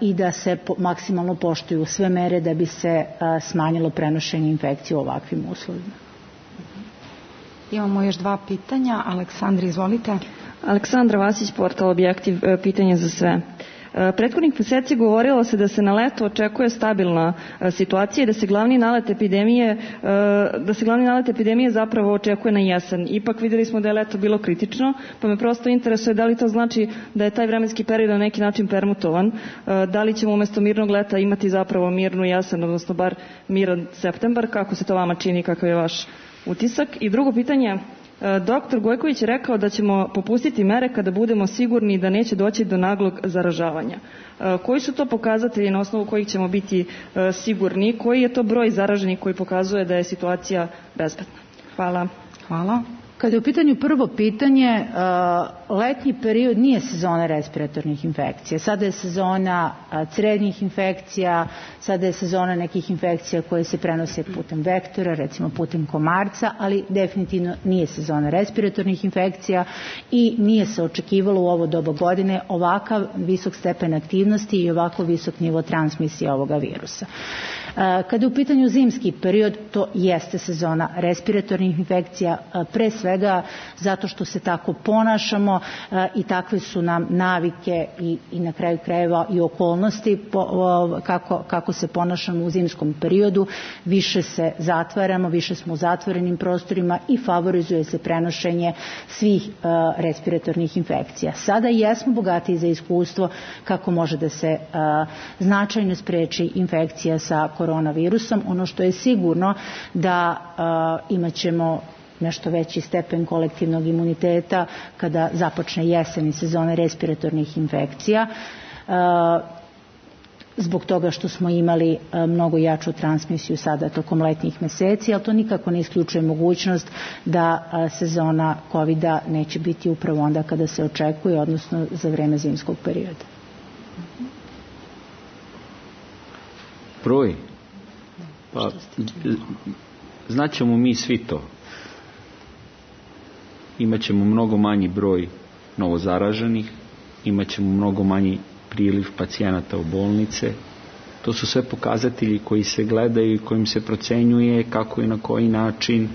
i da se maksimalno poštuju sve mere da bi se smanjilo prenošenje infekcije u ovakvim uslovima. Imamo još 2 pitanja. Aleksandra, izvolite. Aleksandra Vasić, portal Objektiv, pitanje za sve. Prethodnih meseci govorilo se da se na leto očekuje stabilna situacija i da se glavni nalet epidemije zapravo očekuje na jesen. Ipak vidjeli smo da je leto bilo kritično, pa me prosto interesuje da li to znači da je taj vremenski period na neki način permutovan, da li ćemo umjesto mirnog leta imati zapravo mirnu jesen, odnosno bar miran septembar, kako se to vama čini, kakav je vaš utisak? I drugo pitanje, Doktor Gojković je rekao da ćemo popustiti mere kada budemo sigurni da neće doći do naglog zaražavanja. Koji su to pokazatelji na osnovu kojih ćemo biti sigurni? Koji je to broj zaraženih koji pokazuje da je situacija bezbedna? Hvala. Hvala. Kada je u pitanju prvo pitanje, letnji period nije sezona respiratornih infekcija. Sada je sezona crednih infekcija, sada je sezona nekih infekcija koje se prenose putem vektora, recimo putem komarca, ali definitivno nije sezona respiratornih infekcija i nije se očekivalo u ovo doba godine ovakav visok stepen aktivnosti i ovako visok nivo transmisije ovoga virusa. Kada je u pitanju zimski period, to jeste sezona respiratornih infekcija, pre svega svega zato što se tako ponašamo i takve su nam navike i na kraju krajeva i okolnosti kako se ponašamo u zimskom periodu. Više se zatvaramo, više smo u zatvorenim prostorima i favorizuje se prenošenje svih respiratornih infekcija. Sada jesmo bogatiji za iskustvo kako može da se značajno spreči infekcija sa koronavirusom. Ono što je sigurno da imat ćemo nešto veći stepen kolektivnog imuniteta kada započne jesen i sezone respiratornih infekcija, zbog toga što smo imali mnogo jaču transmisiju sada tokom letnjih meseci, ali to nikako ne isključuje mogućnost da sezona COVID-a neće biti upravo onda kada se očekuje, odnosno za vreme zimskog perioda. Broj? Pa, znaćemo mi svi to. Imaćemo mnogo manji broj novozaraženih, imaćemo mnogo manji priliv pacijenata u bolnice. To su sve pokazatelji koji se gledaju i kojim se procenjuje kako i na koji način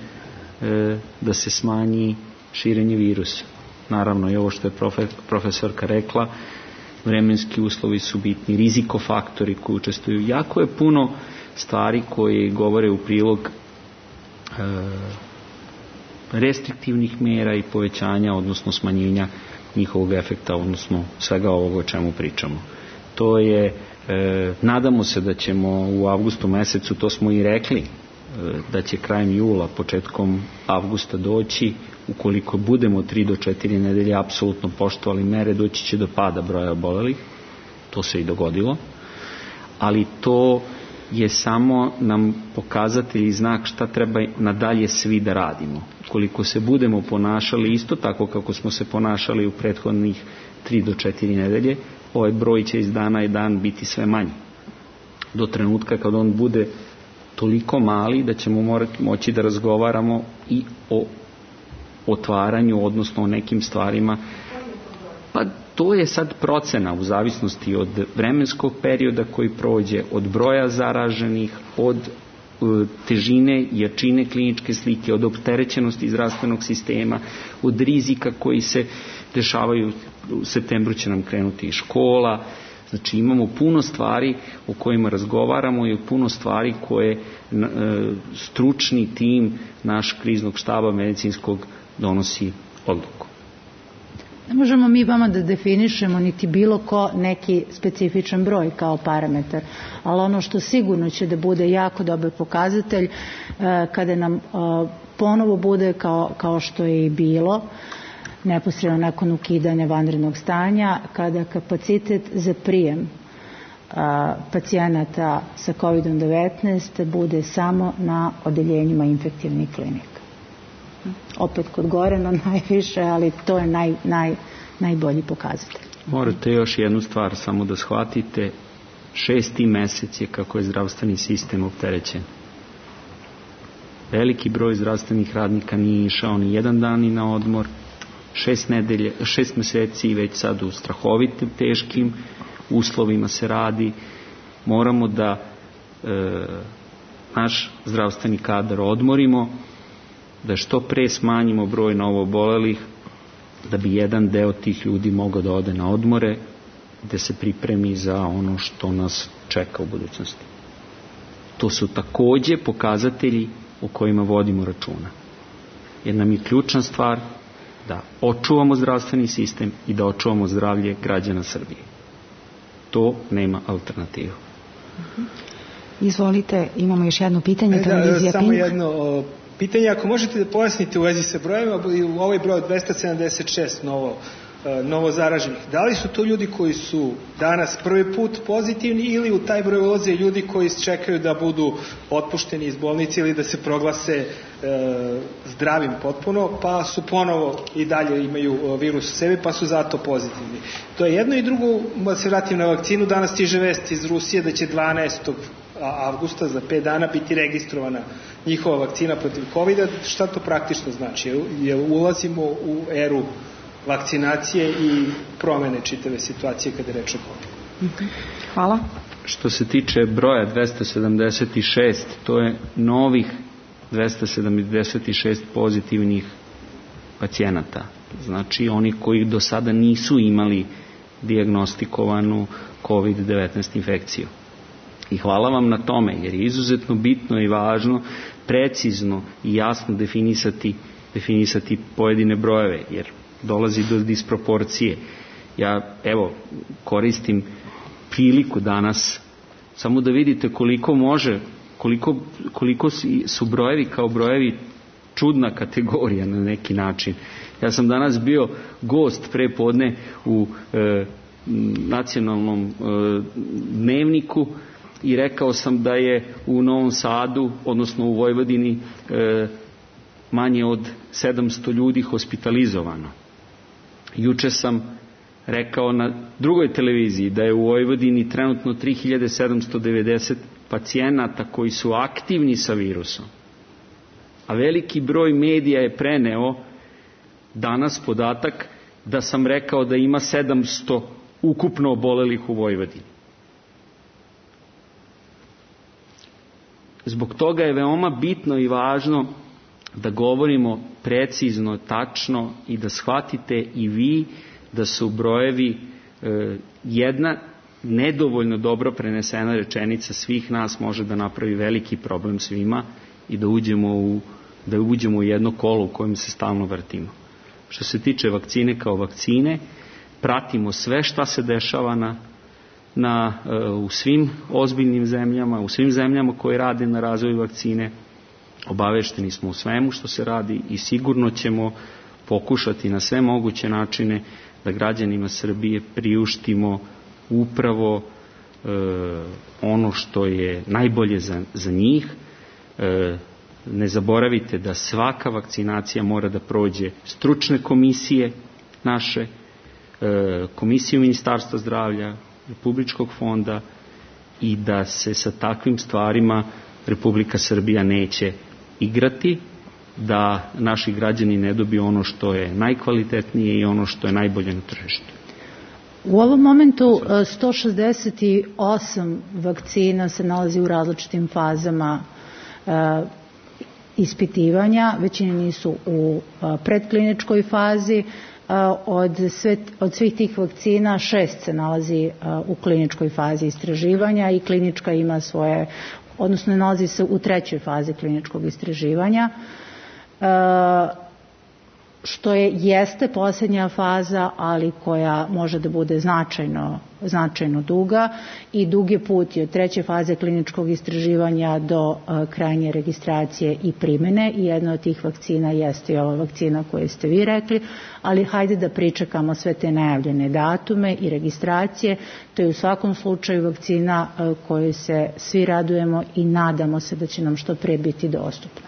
da se smanji širenje virusa. Naravno i ovo što je profesorka rekla, vremenski uslovi su bitni, rizikofaktori koji učestvuju. Jako je puno stvari koje govore u prilog restriktivnih mera i povećanja, odnosno smanjenja njihovog efekta, odnosno svega ovoga o čemu pričamo. To je, nadamo se da ćemo u avgustu mesecu, to smo i rekli, da će krajem jula, početkom avgusta doći, ukoliko budemo 3 do 4 nedelje apsolutno poštovali mere, doći će do pada broja obolelih. To se i dogodilo. Ali to je samo nam pokazatelj i znak šta treba nadalje svi da radimo. Ukoliko se budemo ponašali isto tako kako smo se ponašali u prethodnih 3 do 4 nedelje, ovaj broj će iz dana i dan biti sve manji. Do trenutka kad on bude toliko mali da ćemo moći da razgovaramo i o otvaranju, odnosno o nekim stvarima. Pa to je sad procena u zavisnosti od vremenskog perioda koji prođe, od broja zaraženih, od težine, jačine kliničke slike, od opterećenosti zdravstvenog sistema, od rizika koji se dešavaju. U septembru će nam krenuti i škola. Znači imamo puno stvari o kojima razgovaramo i puno stvari koje stručni tim naš kriznog štaba medicinskog donosi odluku. Ne možemo mi vama da definišemo niti bilo ko neki specifičan broj kao parametar, ali ono što sigurno će da bude jako dobar pokazatelj kada nam ponovo bude kao što je i bilo neposredno nakon ukidanja vanrednog stanja, kada kapacitet za prijem pacijenata sa COVID-19 bude samo na odeljenjima infektivnih klinika. Opet kod Gorana najviše, ali to je najbolji pokazatelj. Morate još jednu stvar samo da shvatite. 6. mesec je kako je zdravstveni sistem opterećen. Veliki broj zdravstvenih radnika nije išao ni jedan dan ni na odmor. 6 meseci već sad u strahovitim, teškim uslovima se radi. Moramo da naš zdravstveni kadar odmorimo, da što pre smanjimo broj novoobolelih, da bi jedan deo tih ljudi mogao da ode na odmore, da se pripremi za ono što nas čeka u budućnosti. To su takođe pokazatelji o kojima vodimo računa. Jer nam je ključna stvar da očuvamo zdravstveni sistem i da očuvamo zdravlje građana Srbije. To nema alternativu. Izvolite, imamo još jedno pitanje. Samo jedno pitanje, ako možete da pojasnite u vezi sa brojima, u ovaj broj 276 novo zaraženih, da li su to ljudi koji su danas prvi put pozitivni ili u taj broj ulaze ljudi koji čekaju da budu otpušteni iz bolnice ili da se proglase zdravim potpuno, pa su ponovo i dalje imaju virus u sebi, pa su zato pozitivni. To je jedno i drugo, da se vratim na vakcinu, danas stiže vest iz Rusije da će 12. avgusta za 5 dana biti registrovana njihova vakcina protiv COVID-a. Šta to praktično znači? Ulazimo u eru vakcinacije i promene čitave situacije kada je reč o COVID-u. Hvala. Što se tiče broja 276, to je novih 276 pozitivnih pacijenata. Znači oni koji do sada nisu imali dijagnostikovanu COVID-19 infekciju. I hvala vam na tome, jer je izuzetno bitno i važno precizno i jasno definisati pojedine brojeve, jer dolazi do disproporcije. Ja, evo, koristim priliku danas samo da vidite koliko su brojevi kao brojevi čudna kategorija na neki način. Ja sam danas bio gost pre podne u nacionalnom dnevniku i rekao sam da je u Novom Sadu, odnosno u Vojvodini, manje od 700 ljudi hospitalizovano. Juče sam rekao na drugoj televiziji da je u Vojvodini trenutno 3790 pacijenata koji su aktivni sa virusom. A veliki broj medija je preneo danas podatak da sam rekao da ima 700 ukupno obolelih u Vojvodini. Zbog toga je veoma bitno i važno da govorimo precizno, tačno i da shvatite i vi da su brojevi jedna nedovoljno dobro prenesena rečenica svih nas može da napravi veliki problem svima i da uđemo u jedno kolo u kojem se stalno vrtimo. Što se tiče vakcine kao vakcine, pratimo sve šta se dešava u svim ozbiljnim zemljama, u svim zemljama koje rade na razvoju vakcine. Obavešteni smo u svemu što se radi i sigurno ćemo pokušati na sve moguće načine da građanima Srbije priuštimo upravo ono što je najbolje za njih. Ne zaboravite da svaka vakcinacija mora da prođe stručne komisije naše, komisiju Ministarstva zdravlja, Republičkog fonda i da se sa takvim stvarima Republika Srbija neće igrati, da naši građani ne dobiju ono što je najkvalitetnije i ono što je najbolje na tržištu. U ovom momentu 168 vakcina se nalazi u različitim fazama ispitivanja, većina nisu u predkliničkoj fazi. Od svih tih vakcina 6 se nalazi u kliničkoj fazi istraživanja i klinička ima svoje, odnosno nalazi se u 3. fazi kliničkog istraživanja, što jeste posljednja faza, ali koja može da bude značajno duga i dug je put od 3. faze kliničkog istraživanja do krajnje registracije i primene i jedna od tih vakcina jeste i ova vakcina koju ste vi rekli, ali hajde da pričekamo sve te najavljene datume i registracije. To je u svakom slučaju vakcina koju se svi radujemo i nadamo se da će nam što pre biti dostupna.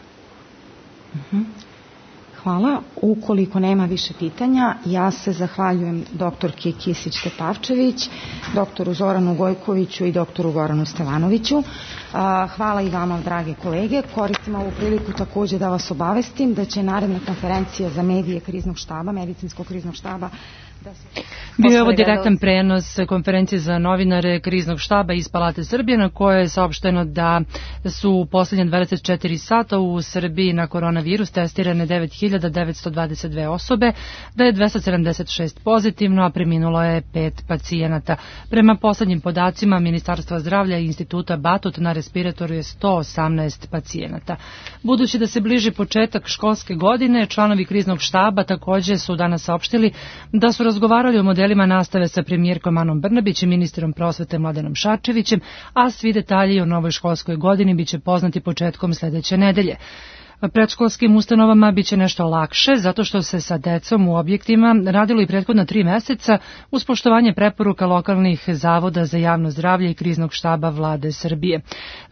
Hvala. Ukoliko nema više pitanja, ja se zahvaljujem doktorki Kisić-Tepavčević, doktoru Zoranu Gojkoviću i doktoru Goranu Stevanoviću. Hvala i vama, drage kolege. Koristim ovu priliku takođe da vas obavestim da će naredna konferencija za medije kriznog štaba, medicinskog kriznog štaba, bio je ovo direktan prenos konferencije za novinare kriznog štaba iz Palate Srbije, na kojoj je saopšteno da su u posljednje 24 sata u Srbiji na koronavirus testirane 9922 osobe, da je 276 pozitivno, a preminulo je 5 pacijenata. Prema poslednjim podacima Ministarstva zdravlja i Instituta Batut na respiratoru je 118 pacijenata. Budući da se bliži početak školske godine, članovi kriznog štaba takođe su danas saopštili da su razgovarali o modelima nastave sa premijerkom Anom Brnabić i ministrom prosvete Mladenom Šarčevićem, a svi detalji o novoj školskoj godini biće poznati početkom sledeće nedelje. Predškolskim ustanovama biće nešto lakše, zato što se sa decom u objektima radilo i prethodna 3 meseca uz poštovanje preporuka lokalnih zavoda za javno zdravlje i kriznog štaba Vlade Srbije.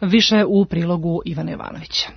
Više u prilogu Ivana Jovanovića.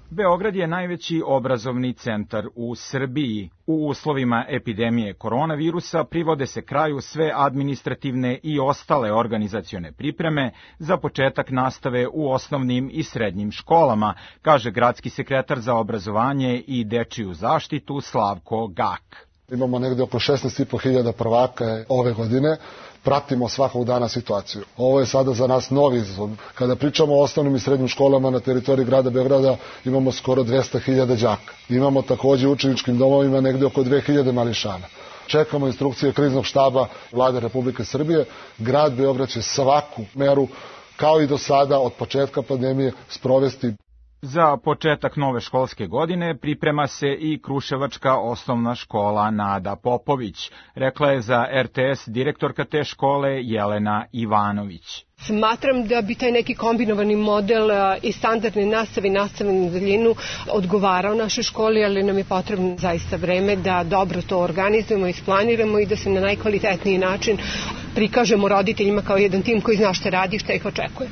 Beograd je najveći obrazovni centar u Srbiji. U uslovima epidemije koronavirusa privode se kraju sve administrativne i ostale organizacione pripreme za početak nastave u osnovnim i srednjim školama, kaže gradski sekretar za obrazovanje i dečiju zaštitu Slavko Gak. Imamo negde oko 16.500 prvaka ove godine. Pratimo svakog dana situaciju. Ovo je sada za nas novi izazov. Kada pričamo o osnovnim i srednjim školama na teritoriji grada Beograda, imamo skoro 200.000 đaka. Imamo takođe u učeničkim domovima negde oko 2.000 mališana. Čekamo instrukcije kriznog štaba Vlade Republike Srbije. Grad Beograd će svaku meru, kao i do sada, od početka pandemije, sprovesti. Za početak nove školske godine priprema se i Kruševačka osnovna škola Nada Popović, rekla je za RTS direktorka te škole Jelena Ivanović. Smatram da bi taj neki kombinovani model i standardne nastave i nastave na daljinu odgovarao našoj školi, ali nam je potrebno zaista vreme da dobro to organizujemo, isplaniramo i da se na najkvalitetniji način prikažemo roditeljima kao jedan tim koji zna šta radi i šta ih očekuje.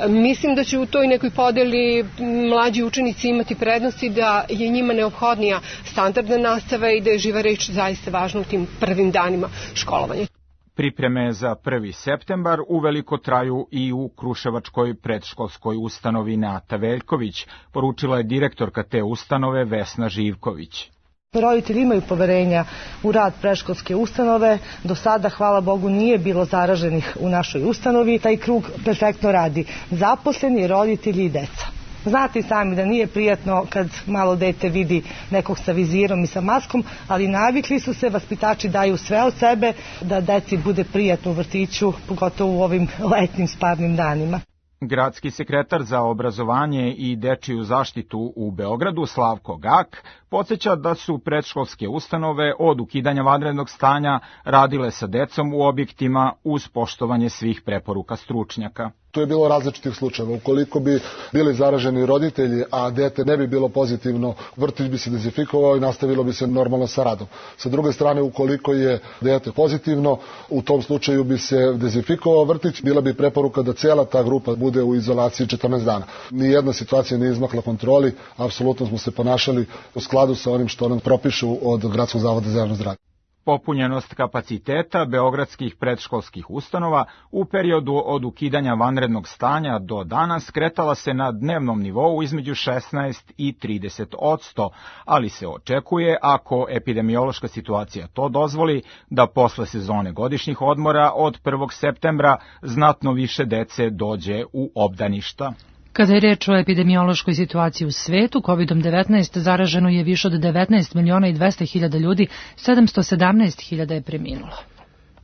Mislim da će u toj nekoj podeli mlađi učenici imati prednosti, da je njima neophodnija standardna nastava i da je živa reč zaista važna u tim prvim danima školovanja. Pripreme za 1. septembar uveliko traju i u Kruševačkoj predškolskoj ustanovi Nata Veljković, poručila je direktorka te ustanove Vesna Živković. Roditelji imaju poverenja u rad predškolske ustanove. Do sada, hvala Bogu, nije bilo zaraženih u našoj ustanovi. Taj krug perfektno radi. Zaposleni, roditelji i deca. Znate i sami da nije prijatno kad malo dete vidi nekog sa vizirom i sa maskom, ali navikli su se, vaspitači daju sve od sebe da deci bude prijatno u vrtiću, pogotovo u ovim letnim sparnim danima. Gradski sekretar za obrazovanje i dečiju zaštitu u Beogradu, Slavko Gak, podsjeća da su predškolske ustanove od ukidanja vanrednog stanja radile sa decom u objektima uz poštovanje svih preporuka stručnjaka. Tu je bilo različitih slučajeva. Ukoliko bi bili zaraženi roditelji, a dete ne bi bilo pozitivno, vrtić bi se dezinfikovao i nastavilo bi se normalno sa radom. Sa druge strane, ukoliko je dete pozitivno, u tom slučaju bi se dezinfikovao vrtić, bila bi preporuka da cijela ta grupa bude u izolaciji 14 dana. Nijedna situacija nije izmakla kontroli, apsolutno smo se ponašali u skladu sa onim što nam propišu od Gradskog zavoda za javno zdravlje. Popunjenost kapaciteta beogradskih predškolskih ustanova u periodu od ukidanja vanrednog stanja do danas kretala se na dnevnom nivou između 16 i 30%, ali se očekuje, ako epidemiološka situacija to dozvoli, da posle sezone godišnjih odmora od 1. septembra znatno više dece dođe u obdaništa. Kada je reč o epidemiološkoj situaciji u svetu, COVID-19 zaraženo je više od 19.200.000 ljudi, 717.000 je preminulo.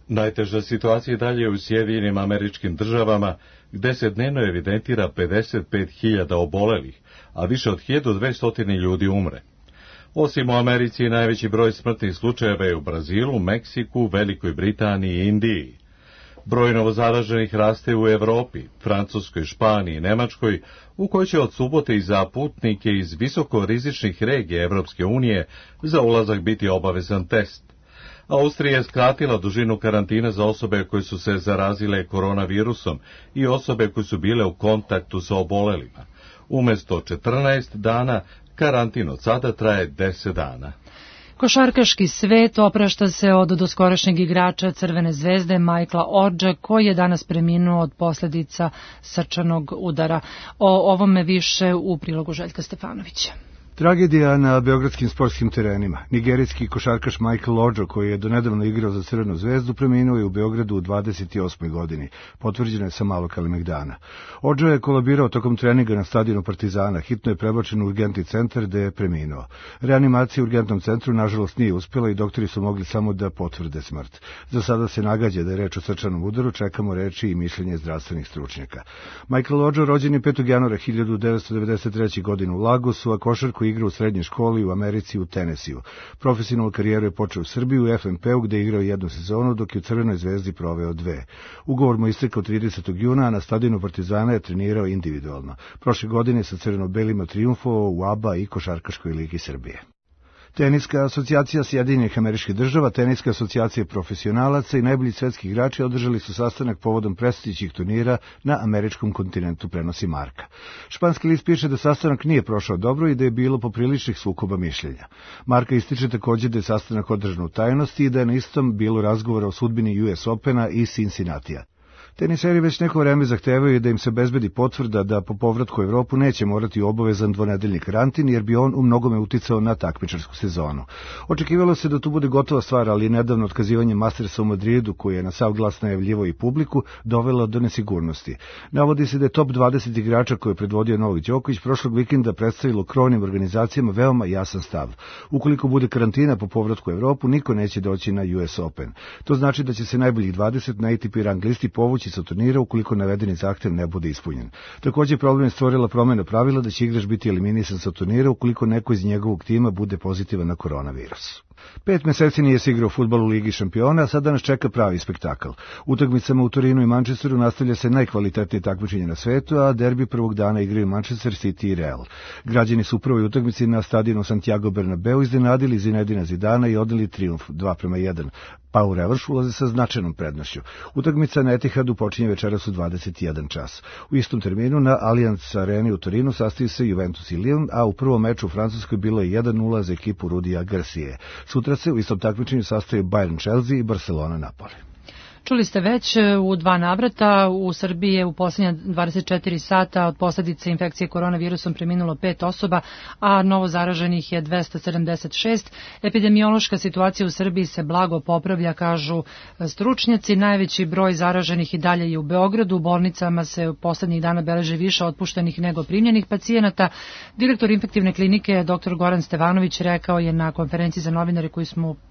Najteža situacija je dalje u Sjedinjenim Američkim Državama, gde se dnevno evidentira 55.000 obolelih, a više od 1.200 ljudi umre. Osim u Americi, najveći broj smrtnih slučajeva je u Brazilu, Meksiku, Velikoj Britaniji i Indiji. Broj novozaraženih raste u Evropi, Francuskoj, Španiji i Nemačkoj, u kojoj će od subote i za putnike iz visokorizičnih regija Evropske unije za ulazak biti obavezan test. Austrija je skratila dužinu karantina za osobe koje su se zarazile koronavirusom i osobe koje su bile u kontaktu sa obolelima. Umesto 14 dana, karantin od sada traje 10 dana. Košarkaški svet oprašta se od doskorašnjeg igrača Crvene zvezde Michaela Ordža, koji je danas preminuo od posljedica srčanog udara. O ovome više u prilogu Željka Stefanovića. Tragedija na beogradskim sportskim terenima. Nigerijski košarkaš Michael Ordžo, koji je donedavno igrao za Crvenu zvezdu, preminuo je u Beogradu u 28. godini. Potvrđeno je sa malo Kalemegdana. Ordžo je kolabirao tokom treninga na stadionu Partizana. Hitno je prebačen u urgentni centar gde je preminuo. Reanimacija u urgentnom centru nažalost nije uspjela i doktori su mogli samo da potvrde smrt. Za sada se nagađa da je reč o srčanom udaru, čekamo reči i mišljenje zdravstvenih stručnjaka. Michael Ordžo rođen je 5. januara 1993. godine u Lagosu, a košarku igrao u srednjoj školi u Americi u Tenesiju. Profesionalnu karijeru je počeo u Srbiji u FNP-u gde je igrao jednu sezonu, dok je u Crvenoj zvezdi proveo 2. Ugovor mu istekao 30. juna, a na stadionu Partizana je trenirao individualno. Prošle godine sa crveno-belima trijumfovao u ABA i Košarkaškoj ligi Srbije. Teniska asocijacija Sjedinjenih Američkih Država, Teniska asocijacija profesionalaca i najbolji svetski igrači održali su sastanak povodom predstojećih turnira na američkom kontinentu, prenosi Marka. Španski list piše da sastanak nije prošao dobro i da je bilo popriličnih sukoba mišljenja. Marka ističe također da je sastanak održan u tajnosti i da je na istom bilo razgovora o sudbini US Opena i Cincinnatija. Teniseri već neko vreme zahtevaju da im se bezbedi potvrda da po povratku u Evropu neće morati obavezan dvonedeljni karantin, jer bi on u mnogome uticao na takmičarsku sezonu. Očekivalo se da tu bude gotova stvar, ali nedavno otkazivanje Mastersa u Madridu, koji je na sav glas najavljivao i publiku, dovelo do nesigurnosti. Navodi se da je top 20 igrača koje je predvodio Novak Đoković prošlog vikenda predstavilo krovnim organizacijama veoma jasan stav. Ukoliko bude karantina po povratku u Evropu, niko neće doći na US Open. To znači da će se najboljih 20 na ATP rang listi povući sa turnira ukoliko navedeni zahtev ne bude ispunjen. Također problem je stvorila promjena pravila da će igrač biti eliminisan sa turnira ukoliko neko iz njegovog tima bude pozitivan na koronavirus. 5 meseci nije se igrao fudbal u Ligi šampiona, a sada nas čeka pravi spektakl. Utakmicama u Torinu i Manchesteru nastavlja se najkvalitetnije takmičenje na svetu, a derbi prvog dana igraju Manchester City i Real. Građani su u prvoj utakmici na stadionu Santiago Bernabeu iznenadili Zinedina Zidana i odali trijumf 2:1, pa u revanš ulaze sa značajnom prednošću. Utakmica na Etihadu počinje večeras u 21 čas. U istom terminu na Allianz Areni u Torinu sastaju se Juventus i Lyon, a u prvom meču u Francuskoj bilo je 1:0 za ekipu Rudija Garcije. Sutra se u istom takmičenju sastaju Bayern Chelsea i Barcelona Napoli. Čuli ste već u 2 navrata, u Srbiji je u posljednja 24 sata od posljedice infekcije koronavirusom preminulo 5 osoba, a novo zaraženih je 276. Epidemiološka situacija u Srbiji se blago popravlja, kažu stručnjaci. Najveći broj zaraženih i dalje je u Beogradu. U bolnicama se u posljednjih dana beleže više otpuštenih nego primljenih pacijenata. Direktor infektivne klinike dr. Goran Stevanović rekao je na konferenciji za novinare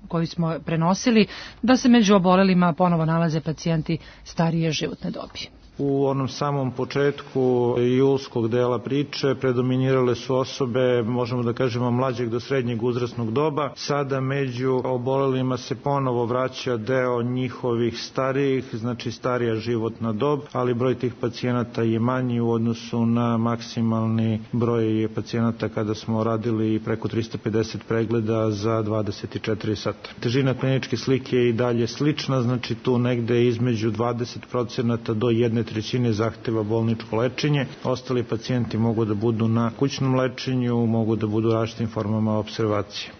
koju smo prenosili da se među obolelima ponovo nalaze pacijenti starije životne dobi. U onom samom početku julskog dela priče predominirale su osobe, možemo da kažemo, mlađeg do srednjeg uzrasnog doba. Sada među obolelima se ponovo vraća deo njihovih starijih, znači starija životna dob, ali broj tih pacijenata je manji u odnosu na maksimalni broj pacijenata kada smo radili preko 350 pregleda za 24 sata. Težina kliničke slike je i dalje slična, znači tu negde između 20% do 1/3 zahteva bolničko lečenje. Ostali pacijenti mogu da budu na kućnom lečenju, mogu da budu različitim formama opservacije.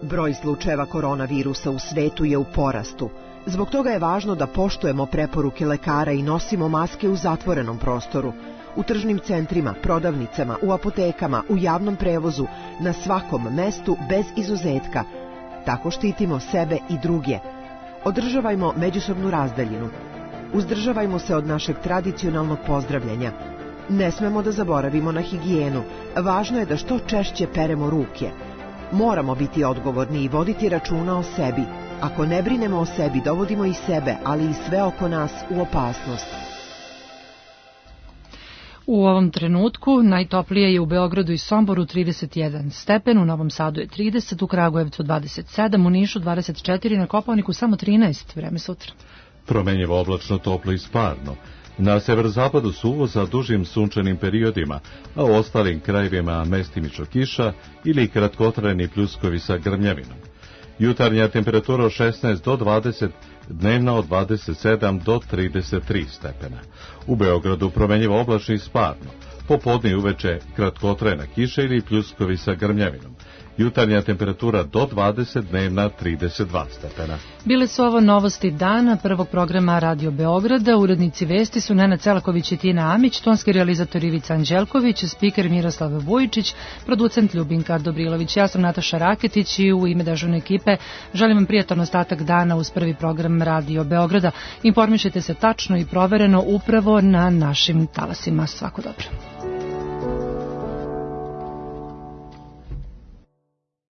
Broj slučajeva koronavirusa u svetu je u porastu. Zbog toga je važno da poštujemo preporuke lekara i nosimo maske u zatvorenom prostoru, u tržnim centrima, prodavnicama, u apotekama, u javnom prevozu, na svakom mestu bez izuzetka. Tako štitimo sebe i druge. Održavajmo međusobnu razdaljinu. Uzdržavajmo se od našeg tradicionalnog pozdravljanja. Ne smemo da zaboravimo na higijenu. Važno je da što češće peremo ruke. Moramo biti odgovorni i voditi računa o sebi. Ako ne brinemo o sebi, dovodimo i sebe, ali i sve oko nas u opasnost. U ovom trenutku najtoplije je u Beogradu i Somboru 31 stepen, u Novom Sadu je 30, u Kragujevcu 27, u Nišu 24, na Kopaoniku samo 13, vreme sutra. Promenjivo oblačno, toplo i sparno. Na severozapadu suvo sa dužim sunčanim periodima, a u ostalim krajevima mestimično kiša ili kratkotrajni pljuskovi sa grmljavinom. Jutarnja temperatura od 16 do 20, dnevna od 27 do 33 stepena. U Beogradu promenjivo oblačno i sparno. Popodne i uveče kratkotrajna kiša ili pljuskovi sa grmljavinom. Jutarnja temperatura do 20, dnevna 32 stepena. Bile su ovo novosti dana prvog programa Radio Beograda. Urednici vesti su Nenad Celaković i Tina Amić, tonski realizator Ivica Anđelković, spiker Miroslav Vujičić, producent Ljubinka Dobrilović. Ja sam Nataša Raketić i u ime dežurne ekipe želim vam prijatan ostatak dana uz prvi program Radio Beograda. Informišite se tačno i provereno upravo na našim talasima. Svako dobro.